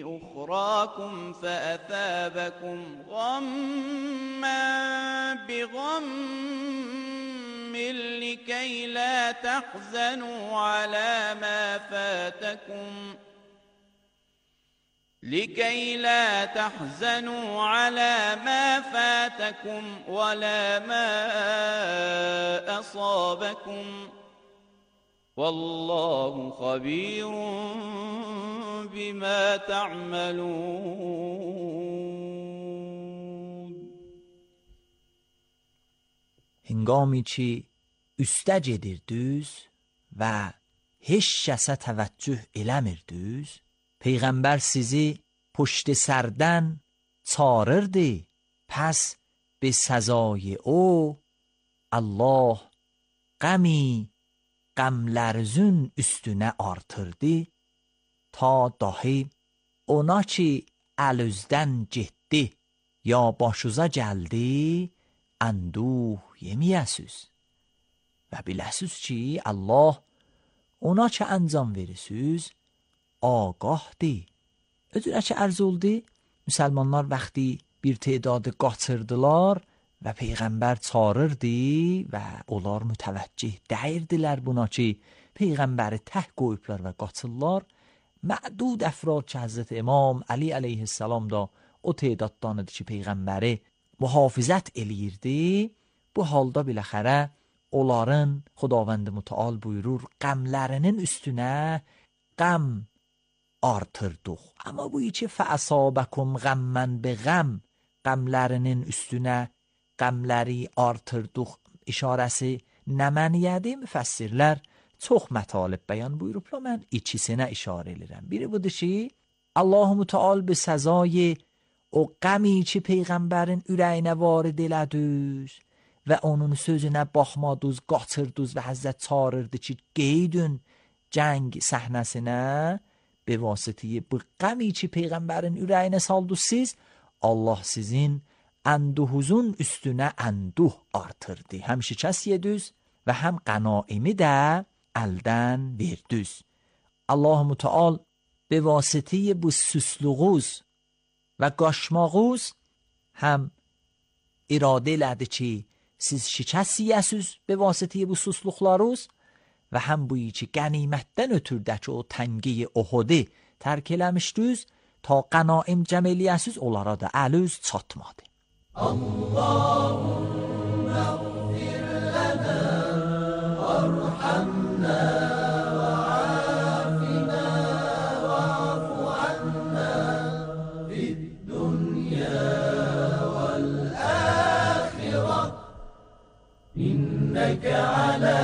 أخراكم فأثابكم غما بغم لكي لا تحزنوا على ما فاتكم لكي لا تحزنوا على ما فاتكم ولا ما أصابكم والله خبير بما تعملون. هنگامی چی üstə gedirdiniz və heç kəsə təvəccüh eləmirdiniz, Peyğəmbər sizi پشت sərdən çağırırdı. Pəs به سزای او Allah qəmi qəmlərzün üstünə artırdı ta dahi ona ki əlüzdən getdi ya başuza gəldi anduh yemiyəsiz və biləsiz ki Allah ona ki əncam verirsiniz آگاهdi. Özünə ki ərz oldu, müsəlmanlar vaxtı bir tedadı qaçırdılar və Peyğəmbər çağırırdı və onlar mütəvəccih dəyirdilər buna ki Peyğəmbəri təh qoyublar və qaçırlar. Mədud əfrad ki Həzrət İmam Ali əleyhissalam da o tedaddan idi ki Peyğəmbəri mühafizət eləyirdi. Bu halda biləxərə onların Xudavənd mütəal buyurur qəmlərinin üstünə qəm artırdıq. Amma bu içi fəəsabəkum qəmmən bi qəm qəmlərinin üstünə qəmləri artırdıq işarəsi nə məniyədir? Müfəssirlər çox mətalib bəyan buyurublar. Mən ikisinə işarə edirəm. Biri budur ki Allah Mütəal به سزای o qəmi ki Peyğəmbərin ürəyinə varid elədiniz və onun sözünə baxmadınız, qaçırdınız və Həzrət çağırırdı ki qeydün cəng səhnəsinə به واسطه bu qəmi ki Peyğəmbərin ürəyinə saldınız siz, Allah sizin əndühüzün üstünə əndüh artırdı. Həm şikəst yediniz və həm qənaimi də əldən verdiniz. Allah Mütəal به واسطه bu süslüğüz və qaşmağız həm iradə elədi ki siz şikəst yiyəsiz به واسطه bu süslüqlarız və həm bu ki qənimətdən ötürdəki o təngi Uhudi tərk eləmişdiniz ta qənaim cəm eləyəsiz onlara da əlüz çatmadı. Allahümme gfir lana varhamna və afina və afu anna fid dünya vel ahireh inneke ala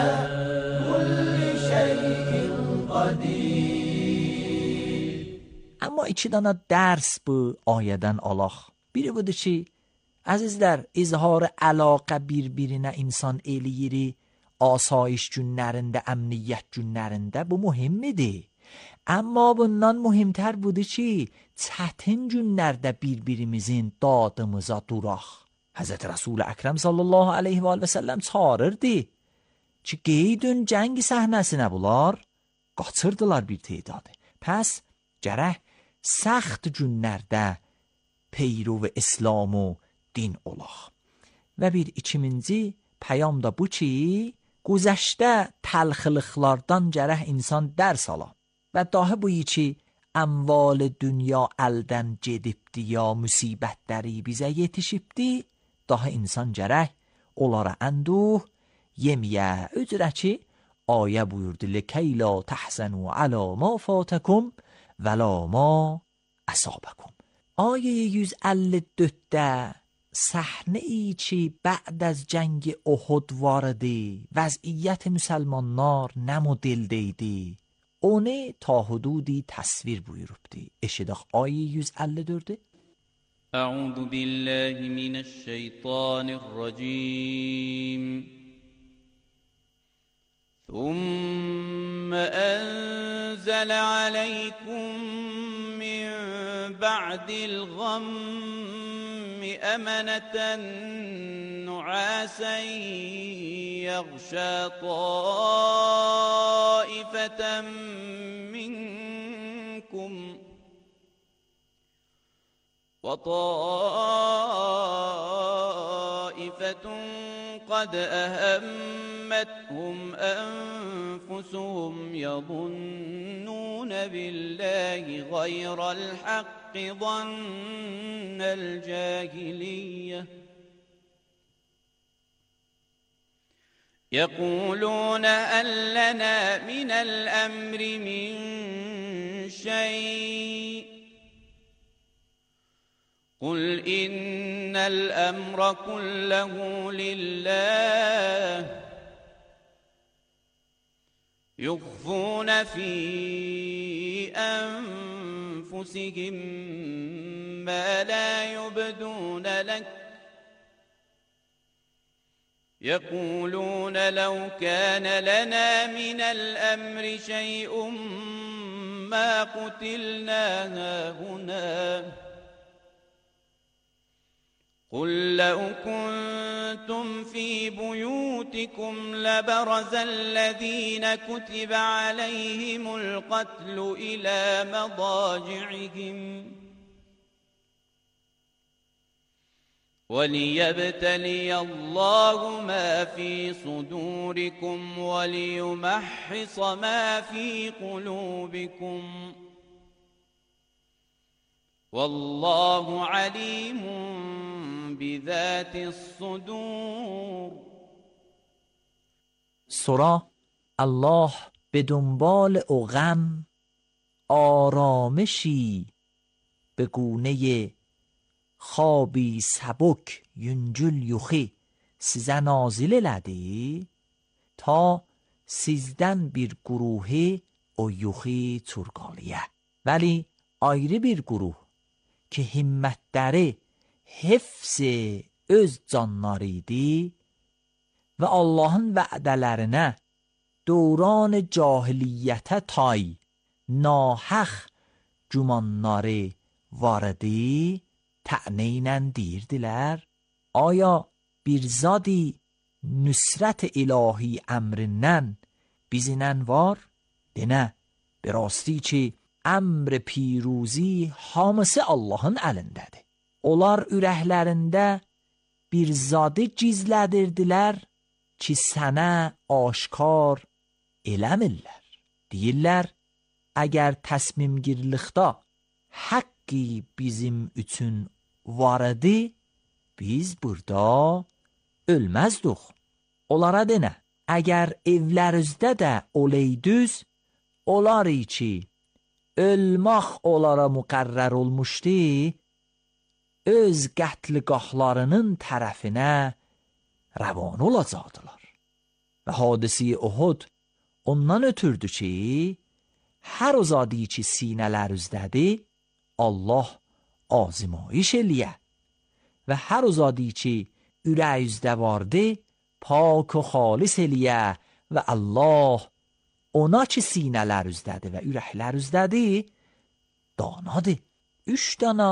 Amma iki dana dərs bu ayədən alaq. Biri budur ki, əzizlər, izhar əlaqə bir-birinə insan eləyiri, asayiş günlərində, əmniyyət günlərində bu mühimmidir. Amma bundan mühimtər budur ki, çətin günlərdə bir-birimizin dadımıza duraq. Həzrət Rasul Əkrəm sallallahu aleyhi və səlləm çağırırdı ki, qeydün cəng səhnəsinə bunlar qaçırdılar bir tedadı. Pəs gərək səxt günlərdə peyrov İslam و din olaq. Və bir ikinci pəyam da bu ki, güzəştə təlxılıqlardan gərək insan dərs ala. Və dahi bu ki, amval dünya elden gedibdi ya musibətləri bizə yetişibdi, daha insan gərək onlara enduh yemiyə ücrəçi ayə buyurdu لکی لا تحزنوا علی ما فاتکم ولا ما اصابکم. آیه yüz elli dörddə səhnə içi بعد از جنگ احد vardı, vəziyyət müsəlmanlar nə modeldə idi, onu ta hududi təsvir buyurubdu. Eşidək آیه yüz elli dördü. أعوذ بالله من الشيطان الرجيم ثم أنزل عليكم من بعد الغم أمنة نعاسا يغشى طائفة منكم وطائفة قد أهمتهم أنفسهم يظنون بالله غير الحق ظن الجاهلية يقولون هل لنا من الأمر من شيء قل إن الأمر كله لله يخفون في أنفسهم ما لا يبدون لك يقولون لو كان لنا من الأمر شيء ما قتلنا هاهنا قل لو كنتم في بيوتكم لبرز الذين كتب عليهم القتل إلى مضاجعهم وليبتلي الله ما في صدوركم وليمحص ما في قلوبكم والله عليم بذات الصدور. سورا الله به دنبال او غم آرامشی به گونه خوابی سبک ینجل یخی size nazil elədi ta sizden bir guruhi o yuxi turqalıya. Vəli ayrı bir guruh ki himmətləri hifz öz canları idi və Allahın vədələrinə dövran cahiliyyətə tay nahaq gümanları var idi, tə'nə ilə deyirdilər: آیا bir zadi nüsrət ilahi əmrindən bizdən var? Denə, bir rasti ki əmr piruzi hamısı Allahın əlindədir. Onlar ürəklərində bir zadı gizlədirdilər ki sənə aşkar eləmirlər. Deyirlər, əgər təsmimgirlikdə haqqi bizim üçün var idi, biz burada ölməzdik. Onlara denə, əgər evlərinizdə də oleydüz, onlar ki ölmək onlara müqərrər olmuşdu, öz qətliqahlarının tərəfinə rəvan olacaqdılar. Və hadisi Uhud ondan ötürdü ki, hər o zadi ki sinələrizdədir, Allah azmayış eləyə və hər o zadi ki ürəyizdə vardı, pak و xalis eləyə və Allah ona ki sinələrizdədir və ürəklərizdədir danadır. Üç dana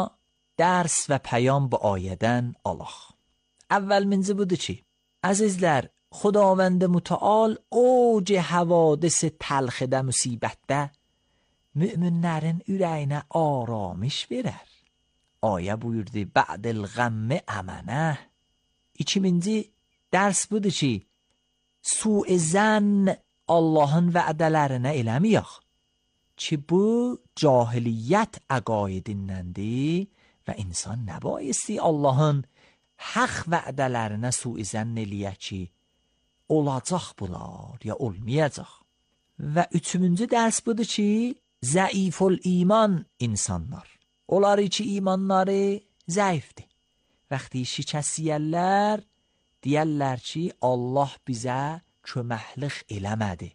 dərs və pəyam bu ayədən alaq. Əvvəlminci budur ki, əzizlər, Xudavənd mütəal اوج حوادث تلخdə, müsibətdə müminlərin ürəyinə aramış verər. Ayə buyurdu, bə'dil qəmmi əmənə. İkinci dərs budur ki, su-i zən Allahın vədələrinə eləməyək. چه bu cahiliyyət əqaidindəndir və insan nəbayəsti Allahın haqq vədələrinə suizən eləyə ki, olacaq bunlar, ya olmayacaq. Və üçüncü dərs budur ki, zəiful iman insanlar. Onlar ki, imanları zəifdir. Vəxti şikəst yiyərlər, deyərlər ki, Allah bizə köməklik eləmədi.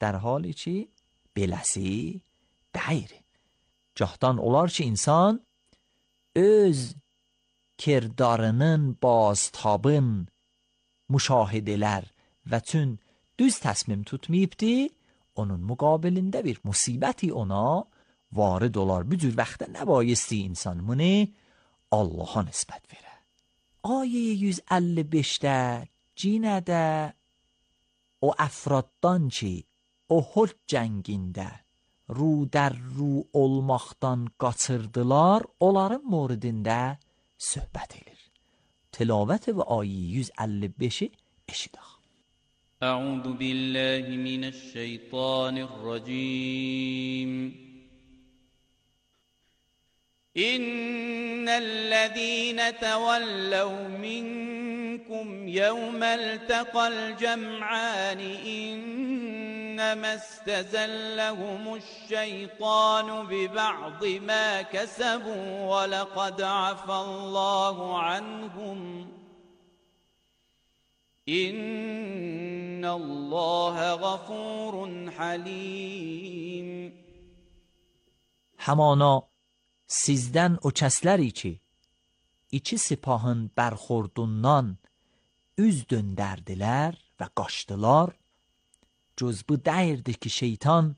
در حالی ki, beləsi deyir. Cahdan olar ki, insan öz kirdarının baztabın müşahidələr və tün düz təsmim tutmayıbdi, onun müqabilində bir musibəti ona varid olar. Bu cür vaxtda nəbayəsti insan bunu Allaha nisbət verə. Ayə yüz əlli beşdə cinədə o əfraddan ki, Uhud cəngində ru در ru olmaqdan qaçırdılar, onların moridində söhbət edir. Tilavət və ayə yüz əlli beşi eşidək. أعوذ بالله من الشيطان الرجيم إن الذين تولوا منكم يوم التقى الجمعان إنما استزلهم الشيطان ببعض ما كسبوا ولقد عفى الله عنهم إن الله غفور حليم. همانا sizdən o kəsləri ki, iki sipahın bərxordundan üz döndərdilər və qaçdılar, cüz bu dəyirdi ki, şeytan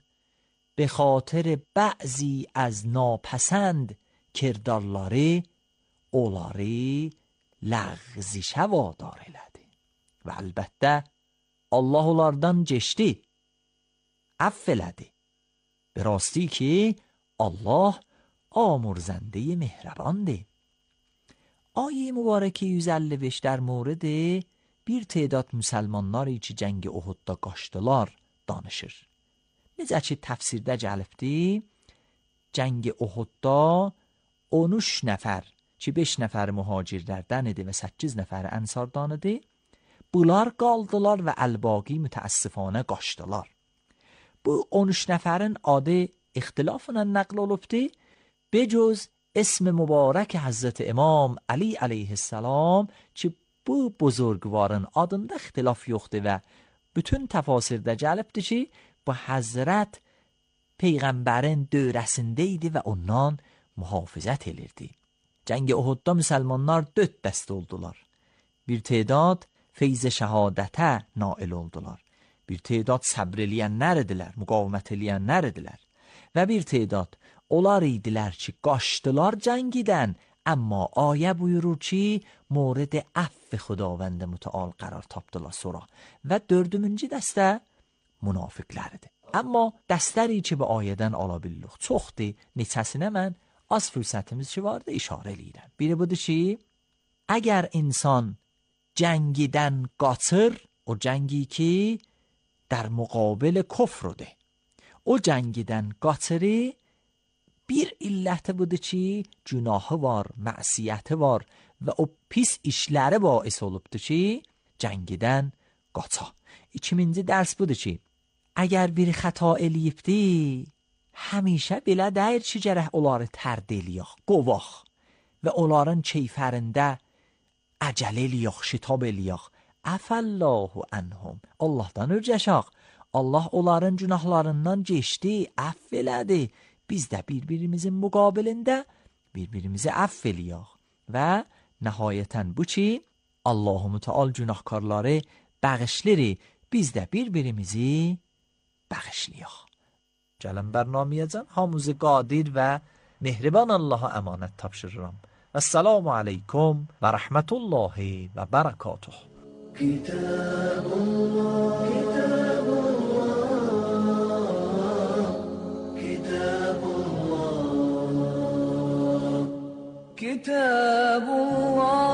به خاطر بعضی از ناپسند کردارları onları لغزشə vadar elədi. Və əlbəttə Allah onlardan keçdi, əff elədi. به راستی ki, Allah آمرزنده مهربانده. آیه مبارکه yüz əlli beş در مورد bir تعداد müsəlmanları ki cəng Uhudda qaçdılar danışır. Necə ki təfsirdə gəlibdi, cəng Uhudda on üç nəfər ki beş nəfər mühacirlərdən idi və səkkiz nəfər ənsardan idi, bunlar qaldılar və əlbaqi mütəəssifanə qaçdılar. Bu on üç nəfərin adı ixtilafla nəql olubdi. به جز اسم مبارک حضرت امام علی علیه السلام ki bu buzurgvarın adında ixtilaf yoxdur və bütün təfasirdə gəlibdir ki, bu Həzrət Peyğəmbərin dövrəsində idi və ondan mühafizət edirdi. Cəng Uhudda müsəlmanlar dörd dəstə oldular. Bir تعداد feyz şəhadətə nail oldular. Bir تعداد səbr eləyənlər idilər, müqavimət eləyənlər idilər. Və bir تعداد onlar idilər ki, qaçdılar cəngidən, amma ayə buyurur ki, mورد əff xudavənd mütəal qərar tapdılar sonra. Və dördüncü dəstə münafiqləridir. Amma dəstəri ki, bu ayədən ala bildik çoxdur, neçəsinə mən az fürsətimiz ki vardı işarə eləyirəm. Biri budur ki, əgər insan cəngidən qaçır, o cəngi ki, در مقابل کفرده. O cəngidən qaçırı, bir illəti budur ki, günahı var, məsiyyəti var və o pis işləri bais olubdur ki, cəngidən qaça. İkinci dərs budur ki, əgər biri xəta eləyibdi, həmişə belə deyir ki, gərək onları tərd eləyək, qovaq və onların keyfərində əcəl eləyək, şitab eləyək. Əfəllahu ənhum. Allahdan örcəşək. Allah onların günahlarından geçdi, əff elədi. Biz də bir-birimizin müqabilində bir-birimizi əff eləyək. Və nəhayətən bu ki, Allah-u Müteal günahkarları bəğişlirik. Biz də bir-birimizi bəğişləyək. Gələn bərnamiyəcən hamımızı qadir və mehriban Allaha əmanət tapşırıram. Əssalamu aleykum və rəhmətullahi və bərəkatuh. كتاب الله كتاب الله كتاب الله كتاب الله